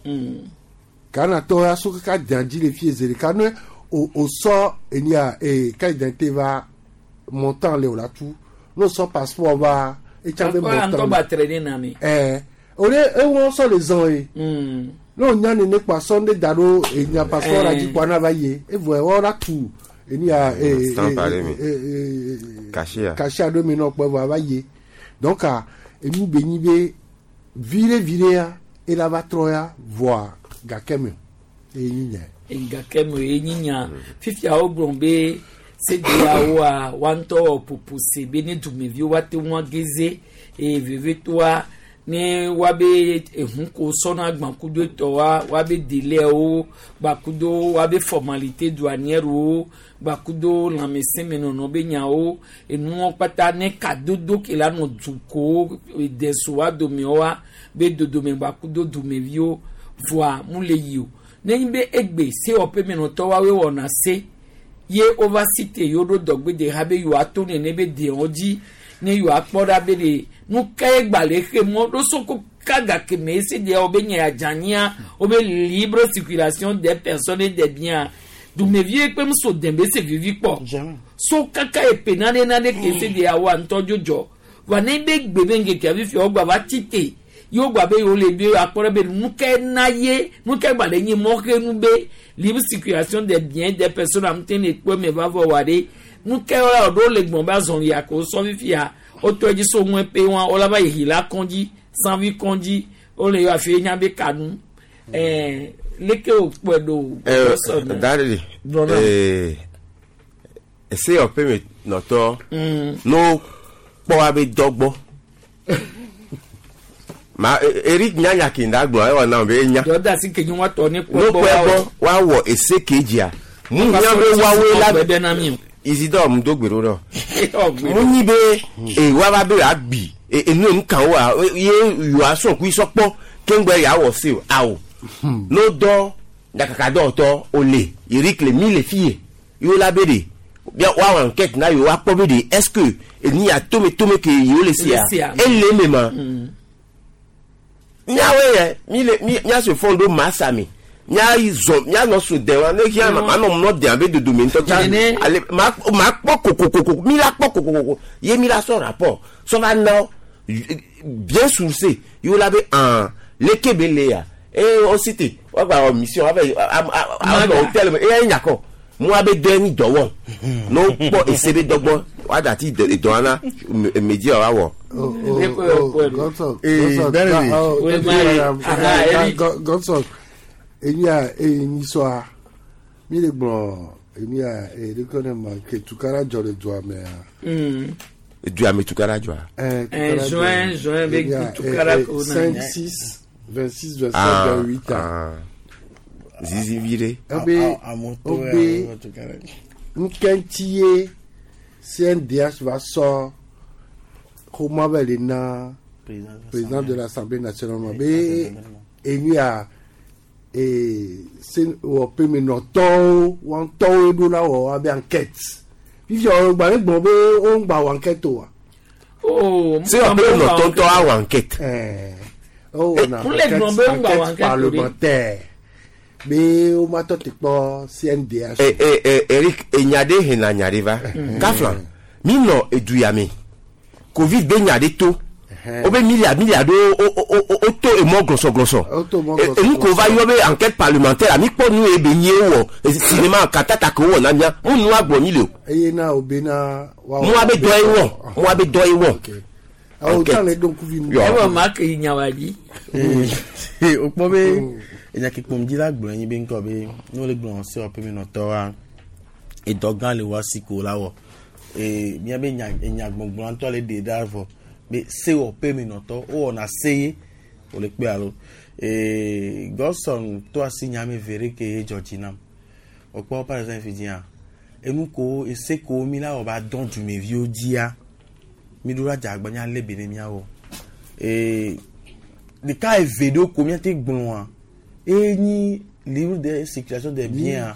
Ghana tɔwo ya so kaka dã dzi le fie zi ɖeka ne o o sɔ enu ya e carte d'identité va montant le o la tu ne o sɔ passeport va etsa be montant. Ɛɛ o de ewɔ sɔ le zɔn ye. Ne o nya nene kpa sɔ ne da ɖo enya passeport la dzi kpɔ na va ye evɔ wɔ la tu enu ya e e cachet cachet ɖo mi nɔ kpɔ evɔ va ye donc enu be nyi be viɖe viɖe ya ela va trɔ ya voa gake me eye nyi nya. Gake me eye nyi nya fifia wo gblɔ be CEDEAO wa ŋutɔ wɔ ƒoƒose be ne dumeviwo woate ŋu ageze eye vevitoa ne woabe ehu ko sɔna gbakudo etɔwoa woabe délaiwo gbakudo woabe formalité douanièrewo gbakudo lãmesẽmenɔnɔ be nyawo enuwo kpata ne kadodo ke la nɔ dukowo desowa domewoa be dodome gbakudo dumeviwo voa mu le yi o nenye be egbe sewɔƒemenɔtɔ woawoe wɔna se ye wova si te yewo ɖo dɔgbede ha be yewoato nene be dewo dzi ne yewoakpɔ ɖa be ɖe nu ka ye gba le xe mɔ ɖo soko kaga keme ese deɛ wobe nye adzanyia wobe libre circulation des personnes et des biens dumevie kpem so dembe se vivi kpɔ so kaka epe nane nane ke ese deɛ wa ŋutɔ dzodzɔ wa ne be gbe be ŋkeke afi wogba va tsi te yewo gba be yewo le be akpɔ ɖe be nu ka na ye nu ka gba le nye mɔxenu be libre circulation des biens des personnes am te ne kpɔ me va vɔ wa ɖe nu ka wala ɖo le gbɔn be azɔli ya ko sɔ fifia wotɔ dzi so ŋue pe wa wola va yi la kɔndzi sanvi kɔndzi wole yɔ afi nya be kanu ɛɛ leke o kpɔe ɖo. ɛɛ daɖe ɛɛ ese yɔ pe me nɔtɔ n'o kpɔ wa be dɔ gbɔ ma Eric nyanya kinda gblɔ ewɔ na be enya. Dɔda si ke nyi wa tɔ ne kpɔ gbɔ wa wɔ wa wɔ ese kejia mu nya be wawoe la Isidore mu do gbe ɖo ɖɔ mu nyi be e wa va be agbi enu enu kan wa ye yoa sɔn kui sɔkpɔ keŋgbɛ ya wɔ se o awo n'o dɔ nyakaka dɔwɔtɔ o le Eric le mi le fi ye yewo la be de bia wa wɔ enquête na yewo akpɔ be de est-ce que enu ya tome tome ke yewo le sia ele me ma miawoe yɛ mi le mi miase fɔn do masa mi mia zɔ mia nɔ so dɛ wa ne hiã ma nɔ mlɔ dɛ abe dodome ŋutɔ tsa ale ma ma kpɔ kokokoko mi la kpɔ kokokoko ye mi la sɔ rapport sɔ va na bien sourcé yewo la be an leke be le ya eye wo si te wogba wɔ mission ava yi a a nɔ hôtel me eya nyakɔ Moi be dɔ ni dɔ wɔ. No kpɔ ese be dɔgbɔ wa dati dɔ na media wa wɔ. Oh, oh, oh, Godson, Godson, oh, Godson, enya enyi soa mi le gblɔ enya e ne ma ke tukara dzɔ le dua mea. Dua me tukara dzɔa. Eh, juin, juin, be tukara ko na. cinq six vingt-six vingt-sept vingt-huit ans. Zizi vire. Obe obe nkɛntie C N D H va sɔ xɔmɔ bɛ le na président de l'Assemblée nationale ma be enya e se wɔ pemenɔtɔwo wɔntɔwo ɖo la wɔ abe enquête fifi ɔ gba ne gbɔn be wo ŋgba wɔ enquête o wa. Oh, se wɔ pemenɔtɔ ŋutɔ awɔ enquête. Ɛɛ o wɔna enquête parlementaire be wo ma tɔ te kpɔ C N D H. Ɛ ɛ ɛ Eric enya ɖe hena nya ɖe va kafla mi nɔ edu ya me Covid be nya ɖe to. Obe milliard milliard o o o o to emɔ glɔsɔ glɔsɔ. Enu ko va yɔ be enquête parlementaire ami kpɔ nu ye be nye wɔ cinéma katata ko wɔ na mia mu nu agblɔ mi le o. Eye na o be na. Mu abe dɔ ye wɔ mu abe dɔ ye wɔ. Awo tan le don kuvi nu. Ɛwɔ maa ke nyawa dzi. O kpɔ be enya ke kpɔm dzi la gblɔ nyi be ŋkɔ be ne wole gblɔ se wɔ pemenɔtɔ wa edɔ gã le wa si ko la wɔ ee mía be nya enya gbɔgblɔ ŋutɔ le ɖe ɖa vɔ. Be se wɔ pemenɔtɔ wowɔna se ye wòle kpe alo ee Godson to asi nyame ve ɖe ke ye dzɔ dzi nam wòkpɔ par exemple fi dzia enu ko ese ko mi la wɔ ba dɔn dumeviwo dzia mi ɖo la dze agba mía lé be ne míawɔ ee ɖeka eve ɖewo ko míate gblɔa eye nyi livre de circulation des biens.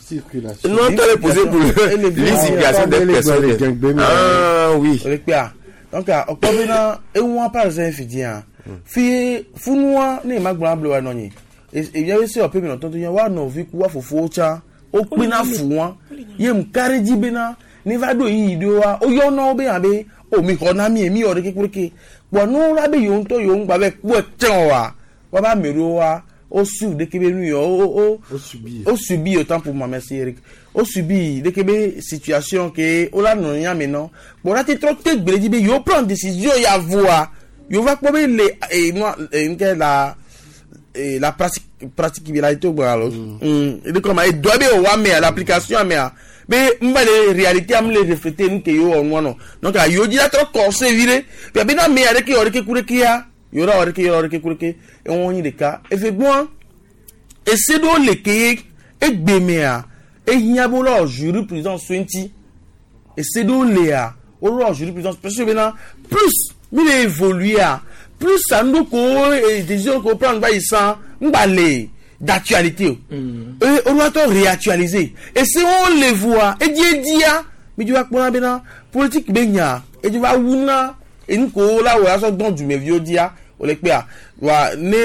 Non, tu as posé pour libre circulation des personnes. Ah oui. Wòle kpea. Donc, ɔkpɔ bena eŋua par exemple fi dzia fi funua ne ma gblɔ ablo wa nɔ nyi evia be se wɔ pemenɔtɔ to nye wa nɔvi ku wa fofowo tsã wokpena fu wa ye mu ka ɖe dzi bena ne va ɖo yiyi ɖo wa woyɔna wo be abe o mi xɔ na mi mi wɔ ɖeke kple kpɔ nu la be yewo ŋutɔ yewo ŋgba be kpɔe tsɛ wa wa ba ame ɖewo wa o su ɖeke be nu yɔ o o o subi autant pour moi merci Eric o subi ɖeke be situation ke o la nɔ nya me nɔ kpɔ la te trɔ te gbe dzi be yewo prendre décision ya voa yewo va kpɔ be le e nua e nke la e la pratique pratique bi la to gbɔ alo mm de comme e dɔ be o wa mea l'application mea be n ba le réalité am le refléter nu ke yewo wɔ nua nɔ donc a yewo dzi la trɔ kɔse vi ɖe bia be na mea ɖeke wɔ ɖeke ku ɖeke ya yɔrɔ wɔ ɖeke yɔrɔ ɖeke ku ɖeke eŋu nyi ɖeka efe gbɔa ese ɖewo le ke ye egbe mea ehiã be wolɔ jurisprudence so ŋuti ese ɖewo lea wolɔ jurisprudence parce que bena plus mi le évoluer plus anu ko décision ko prendre ba yi san ŋgba le d'actualité o eye olùwàtɔ réactualiser ese wo le voa edi edia mi dzi va kpɔna bena politique be nya edzi va wuna enu ko la wɔ asɔ dɔn dumeviwo dzia wòle kpea wa ne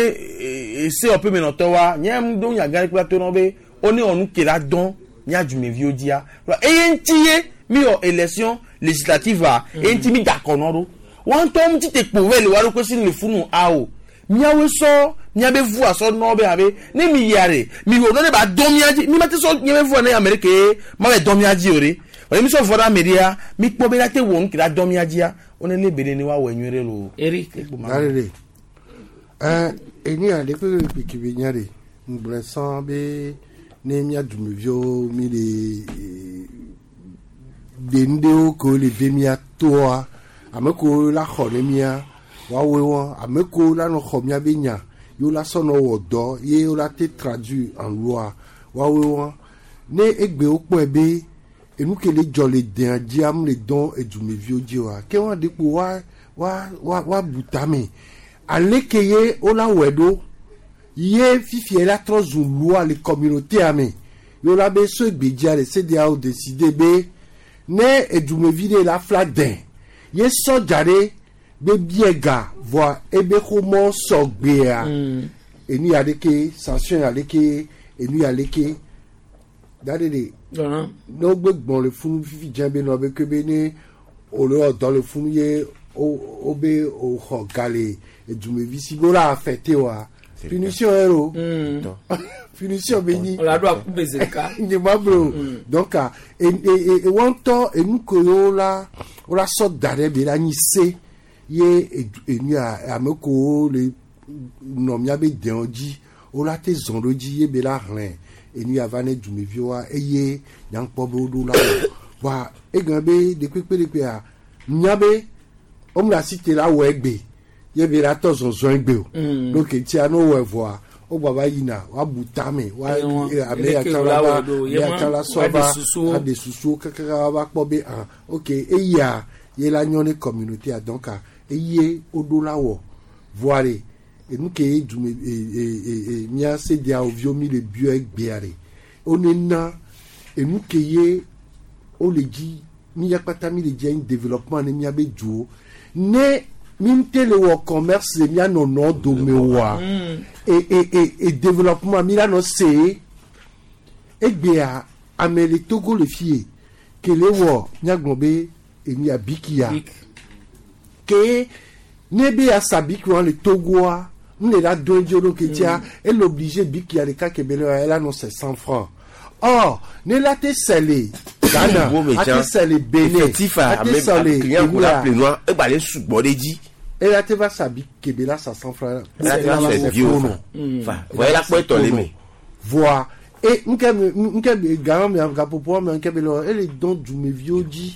ese wɔ pemenɔtɔ wa nye mu do nya gã ɖe kple to nɔ be wo ne wɔ nu ke la dɔn mía dumeviwo dzia wa eye ŋuti ye mi wɔ élection législative a eye ŋuti mi da kɔ nɔ ɖo wa ŋutɔ ŋuti te kpo vɛ le wa ɖokui si le funu awo miawoe sɔ miabe vua sɔ nɔ be abe ne mi yia ɖe mi wò ne ba dɔn mia dzi mi ma te sɔ miabe vua ne ame ɖeke ma bɛ dɔn mia dzi o ɖe wòle mi sɔ vɔ ɖe ame ɖea mi kpɔ be la te wɔ nu ke la dɔn mia dzia wo ne le be ne wa wɔ nyuie ɖe lo. Eric. Arere. Ɛɛ eni a ɖe kpe kpe be nya ɖe ŋgblẽ sã be ne mía dumeviwo mi le ɖe nu ɖewo ke le ve mía toa ame kewo la xɔ ne mía woawoe wɔn ame kewo la nɔ xɔ mía be nya yewo la sɔ nɔ wɔ dɔ ye wo la te traduit en loi woawoe wɔn ne egbewo kpɔe be enu ke le dzɔ le dea dzia mu le dɔn edumeviwo dzi oa ke wɔn ɖe kpo wa wa wa wa bu tame ale ke ye wo la wɔe ɖo ye fifia la trɔ zu loi le communauté me ye wo la be so egbedzia le CEDEAO décider be ne edumevi ɖe la fla dɛ ye sɔdza ɖe be bie ga voa ebe xɔmɔ sɔgbea enu ya ɖeke sanction ya ɖeke enu ya ɖeke da ɖe de ne wogbe gbɔn le funu fifi dze be nɔ be ke be ne wòle wɔ dɔ le funu ye wo be wòxɔ ga le edumevi si be wo la afɛte wa Punition ero. Punition be nyi. Ola do akube zeka. Nye ma blo. Donc ah, e e e wɔntɔ enu ko yo la o la sɔ da ɖe be la nyi se ye enu a ame ko le nɔ miabe dewo dzi o la te zɔn ɖo dzi ye be la hlẽ enu ya va ne dumeviwoa eye nyankpɔ be woɖo la wɔ voa egblɔ be ɖekpekpe ɖekpea nya be womle asi te la wɔ egbe ye be la tɔ zɔzɔn egbe o Mm. donc etia ne wowɔe vɔa wogba va yina woabu tame wa Ewa. eh, ame ya Eleke tsã wo la la va wɔ ɖo, ame ya ye tsã la ma, sɔ woaɖe va susuwo. aɖe susuwo kakaka va kpɔ be ah ok eya ye la nyɔ ne communauté a donc ah, eye woɖo la wɔ voa ɖe enu ke ye dume e e e e mía sedeawo viwo mi le biɔ egbea ɖe wone na enu ke ye wole dzi mi ya kpata mi le dzi anyi développement ne miabe duwo ne mi ŋute le wɔ commerce le mía nɔnɔ dome oa e e e e développement mi la nɔ se egbea ame le Togo le fie kele wɔ míagblɔ be enu ya bikia ke ne be ya sa biki wa le Togoa n le la do edzi ɖo ke tia ele obligé bikia ɖeka ke be le wa ela nɔ c'est cent francs or ne la te sɛ le Ghana a te sɛ le Benin effectif a a te sɛ le client ko la Enuya plenoa egba le sugbɔ ɖe dzi ela te va sa biki ke be la sa cent francs Ela te va sɛ bio fa. Fa. Voa ela kpɔ etɔ le me. voa e nke me nke me Ghana me gapopo me nke be le ele dɔn dumeviwo dzi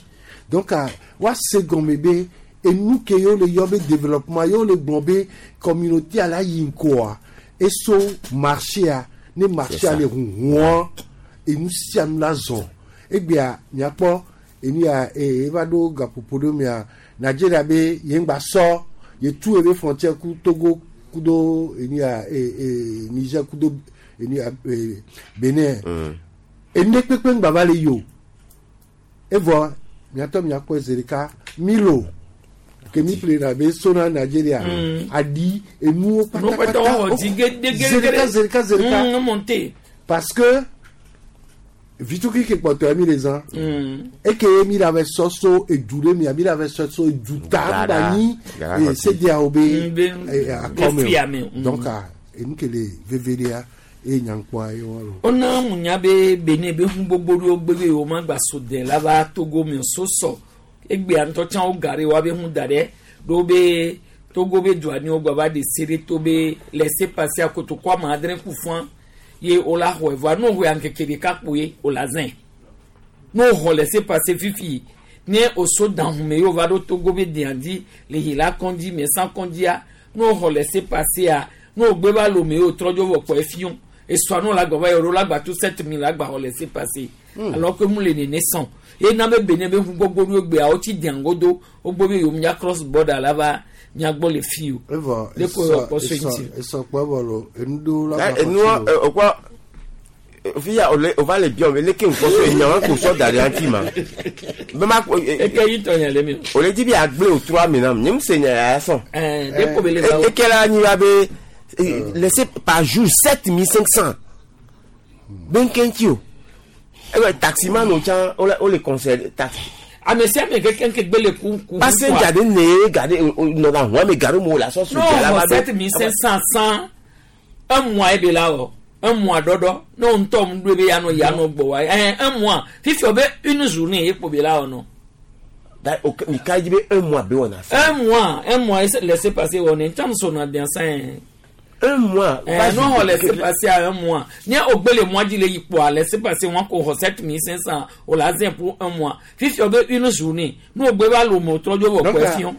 donc ah, wa se gɔme be enu ke yewo le yɔ be développement yewo le gblɔ be communauté a la yi ŋkɔa eso marché a ne marché a ça. le huhua enu sia nu la zɔn egbea miakpɔ enu ya ee eva ɖo gaƒoƒo ɖe mea Nigeria be ye ŋgba sɔ ye tu ebe frontière ku Togo kudo enu ya ee ee Niger kudo enu ya ee Benin enu ɖe kpekpe ŋgba va le yi o evɔ miatɔ miakpɔ zi ɖeka milo ke mi ƒle na be sona Nigeria Mm. aɖi enuwo No pátápátá kpata wɔ dzi gede zi ɖeka zi ɖeka zi ɖeka Mm, monte. parce que vituki ke kpɔtɔ mi le zã Mm. eke mi la va sɔ so edu ɖe mia mi la va sɔ so edu ta Gara, ŋgba nyi gara eh, xɔti. sedeawo be Mm, be- eh, be akɔme fiame, o mm. donc ah, enu ke le veve ɖea eye nyankpɔa ye wa lo. Ona munya be Benin be hu gbogbo ɖewo gbe be yewo magba so de la va Togo me o so sɔ egbea ŋutɔ tsã wo gare wa be hu da ɖe ɖo be Togo be dua ni wo gba va de se ɖe to be laisser passer akotoku ame adre ku fã ye wo la xɔe vɔa ne wo xɔe ŋkeke ɖeka kpoe wo la zẽ ne wo xɔ laisser passer fifi ne o so dahume ye wo va ɖo Togo be dea dzi le Hila kɔndzi Mɛsa kɔndzia ne wo xɔ laisser passer ne wo gbe va Lome ye wo trɔ dzo vɔ kpɔ efiɔ esɔa no la gbɔ va yi ɖo la gba to sept mille la gba xɔ laisser passer alors que mu le nene sɔn ye na be Benin be hu gbogbo ɖo egbea wo tsi dea ŋgodo wo gbɔ be yewo mia cross border la va mia gbɔ le fi o evɔ Le ko esɔ kpɔ so esɔ ŋuti. esɔ kpɔ evɔ lo enu ɖewo la Da gba enua xɔti lo. okwa fi ya ole o va le biɔ me leke ŋkɔ so enyawo ko sɔ da ɖe ŋuti ma be ma ko eke yi tɔ nya le mi o o le dzi be agble o trɔ ame nam nye mu se nya ya sɔn. ɛɛ de ko be le va o eke la nyi wa be eh, laissez par jour sept mille cinq cents benkenki o ebe taximan o tsã o le o le conseil taxi ame sia ame keke ke gbe le ku ku passenger de ne gade nɔna hɔn me gare mo la sɔ no su la xɔ va sept mille cinq cent cent un mois ebe la wɔ un mois ɖɔɖɔ ne wo ŋutɔ mu ɖo ebe yanɔ yanɔ gbɔ wa ɛɛ un mois fifi wo be une journée ye kpo be la wɔ nɔ. Da o mi ka dzi be un mois be wɔna sa. Un mois un mois laissez passer wɔ ne ntsa muso na diansan yɛ. Un mois. Eh, non, on laisse passer à un mois. Ni au le mois dit le pour laisser passer moi ko sept mille cinq cents au la zin pour un mois. Fifi obe une journée. Nous au va le mot trop de Donc, question.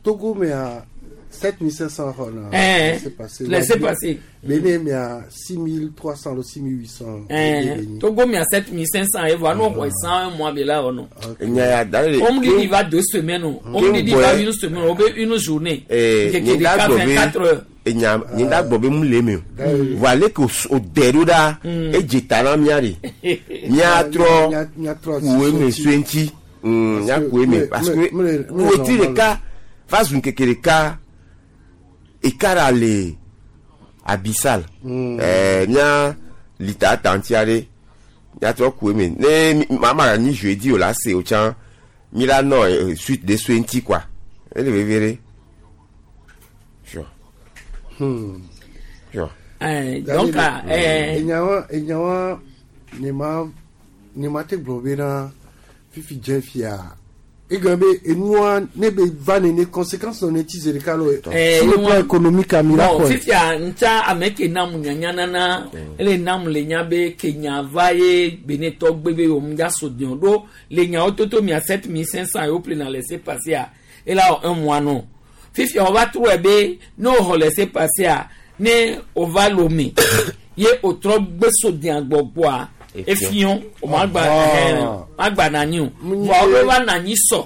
Togo mais à sept mille cinq cents francs là. Eh, laissez passer. laissez passer. Bénin mais à six mille trois cents, six mille huit cents. Eh, Togo mais à sept mille cinq cents et voilà nous on cent un mois là oh non. Nya ya da le. On me dit il va deux semaines on me dit il va une semaine, on veut une journée. Eh, Qui nye da gbɔ be vingt-quatre heures. enya nye da gbɔ be mu le me o. Voa le ke o s- o dɛ ɖo ɖa edze ta na mía de. Mía trɔ Mía trɔ ku eme sue ŋuti. Mm, mía ku eme parce que wetri ɖeka va zu ŋkeke ɖeka ekara le abisal. Ɛɛ mía lita tanti aɖe mía trɔ ku eme ne mi- mama nyi jeudi o la se o tsã mi la nɔ eh, suite de sue ŋuti quoi ele veve ɖe. Sure. Hmm. Eh, donc eh enyawa enyawa ne ma ne ma te gblɔ bena fifi dze fia egbe be enua ne be va nene conséquence nɔ ne ti zi ɖeka lo Eh, sur le plan enua- économique ami la bon kɔe fifia ntsa ame ke nam nyanya nana ele nam le nya be ke nya va ye benetɔ gbe be wo dza so diɔ ɖo le nyawo toto mia sept mille cinq cent yewo ple na laisser passer a ela wɔ un mois nɔ fifia wo va trɔe be ne wo xɔ laisser passer a ne wo va lome ye o trɔ gbe so diã gbɔgbɔa efiɔ o ma gba ɛhɛn ma gba nanyi o vɔa wo va nanyi sɔ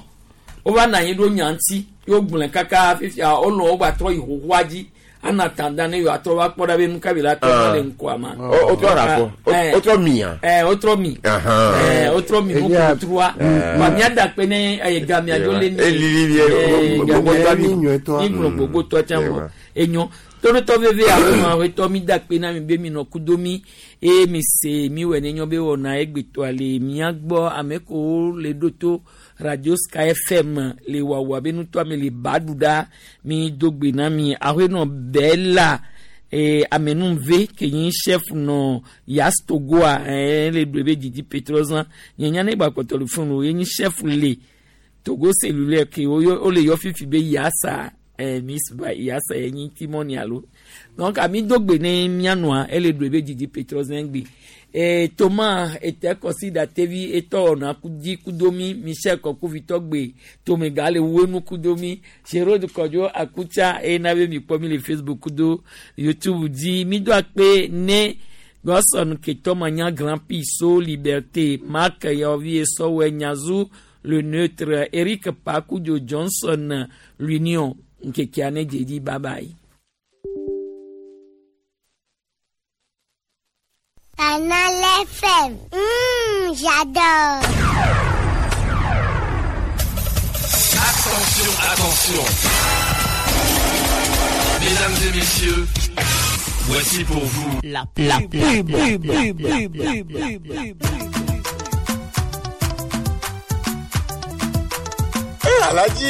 wo va nanyi ɖo nya ŋuti ye gblẽ kaka fifia wolɔ wo gba trɔ yi xoxoa dzi ana tanda ne yewoa trɔ va kpɔ ɖa be nu ka bi la trɔ va le ŋkɔa ma. O- o trɔ ɖa fɔ. O- o trɔ mia. Ɛ o trɔ mi. Ahan. Ɛ o trɔ mi Elia- nukutrua. Eh. Wa mía da kpe ne ɛ gamia dzo le ni. Elili vie, Ɛ, gbogbo gamia tɔ mi mi. mi gblɔ gbogbo tɔ tsã vɔ enyo toɖotɔ veve aƒenɔ aƒetɔ mi da kpe na mi be mi nɔ kudo mi eye mi se mi wɔ ne nyɔ be wɔna egbetɔa le mía gbɔ ame kewo le ɖo to radio sky fm le wawa be nutɔa mi le ba ɖu ɖa mi do gbe na mi aƒenɔ bɛla ee amenuve ke nyi chef nɔ yas togoa ɛɛ le ɖo ebe didi petrozan nye nya ne gba kpɔtɔ le funu o ye nyi chef le togo cellulaire ke wo yɔ- wo le yɔ fifi be yasa eh, miss ba yasa ye nyi timoni alo donc ami do gbe ne mianua ele do ebe didi petrozan gbe eh, toma ete kɔsi tevi etɔ wɔna kudi kudomi michel kɔkuvitɔ gbe tomega le wenu kudomi gerode kɔdzo akutsa eye na be mi kpɔ mi le facebook kudo youtube dzi mi do akpe ne gɔsɔn ketɔmanya grand piso liberté mark yaovi esɔwɛ nyazu le neutre eric pakudio johnson l'union nkekea ne dzedi bye bye. Canal F M. Mmh, j'adore. Attention, attention. Mesdames et messieurs, voici pour vous La la pub, pub, pub, pub, pub, pub, pub, pub, pub. Eh, Alhaji.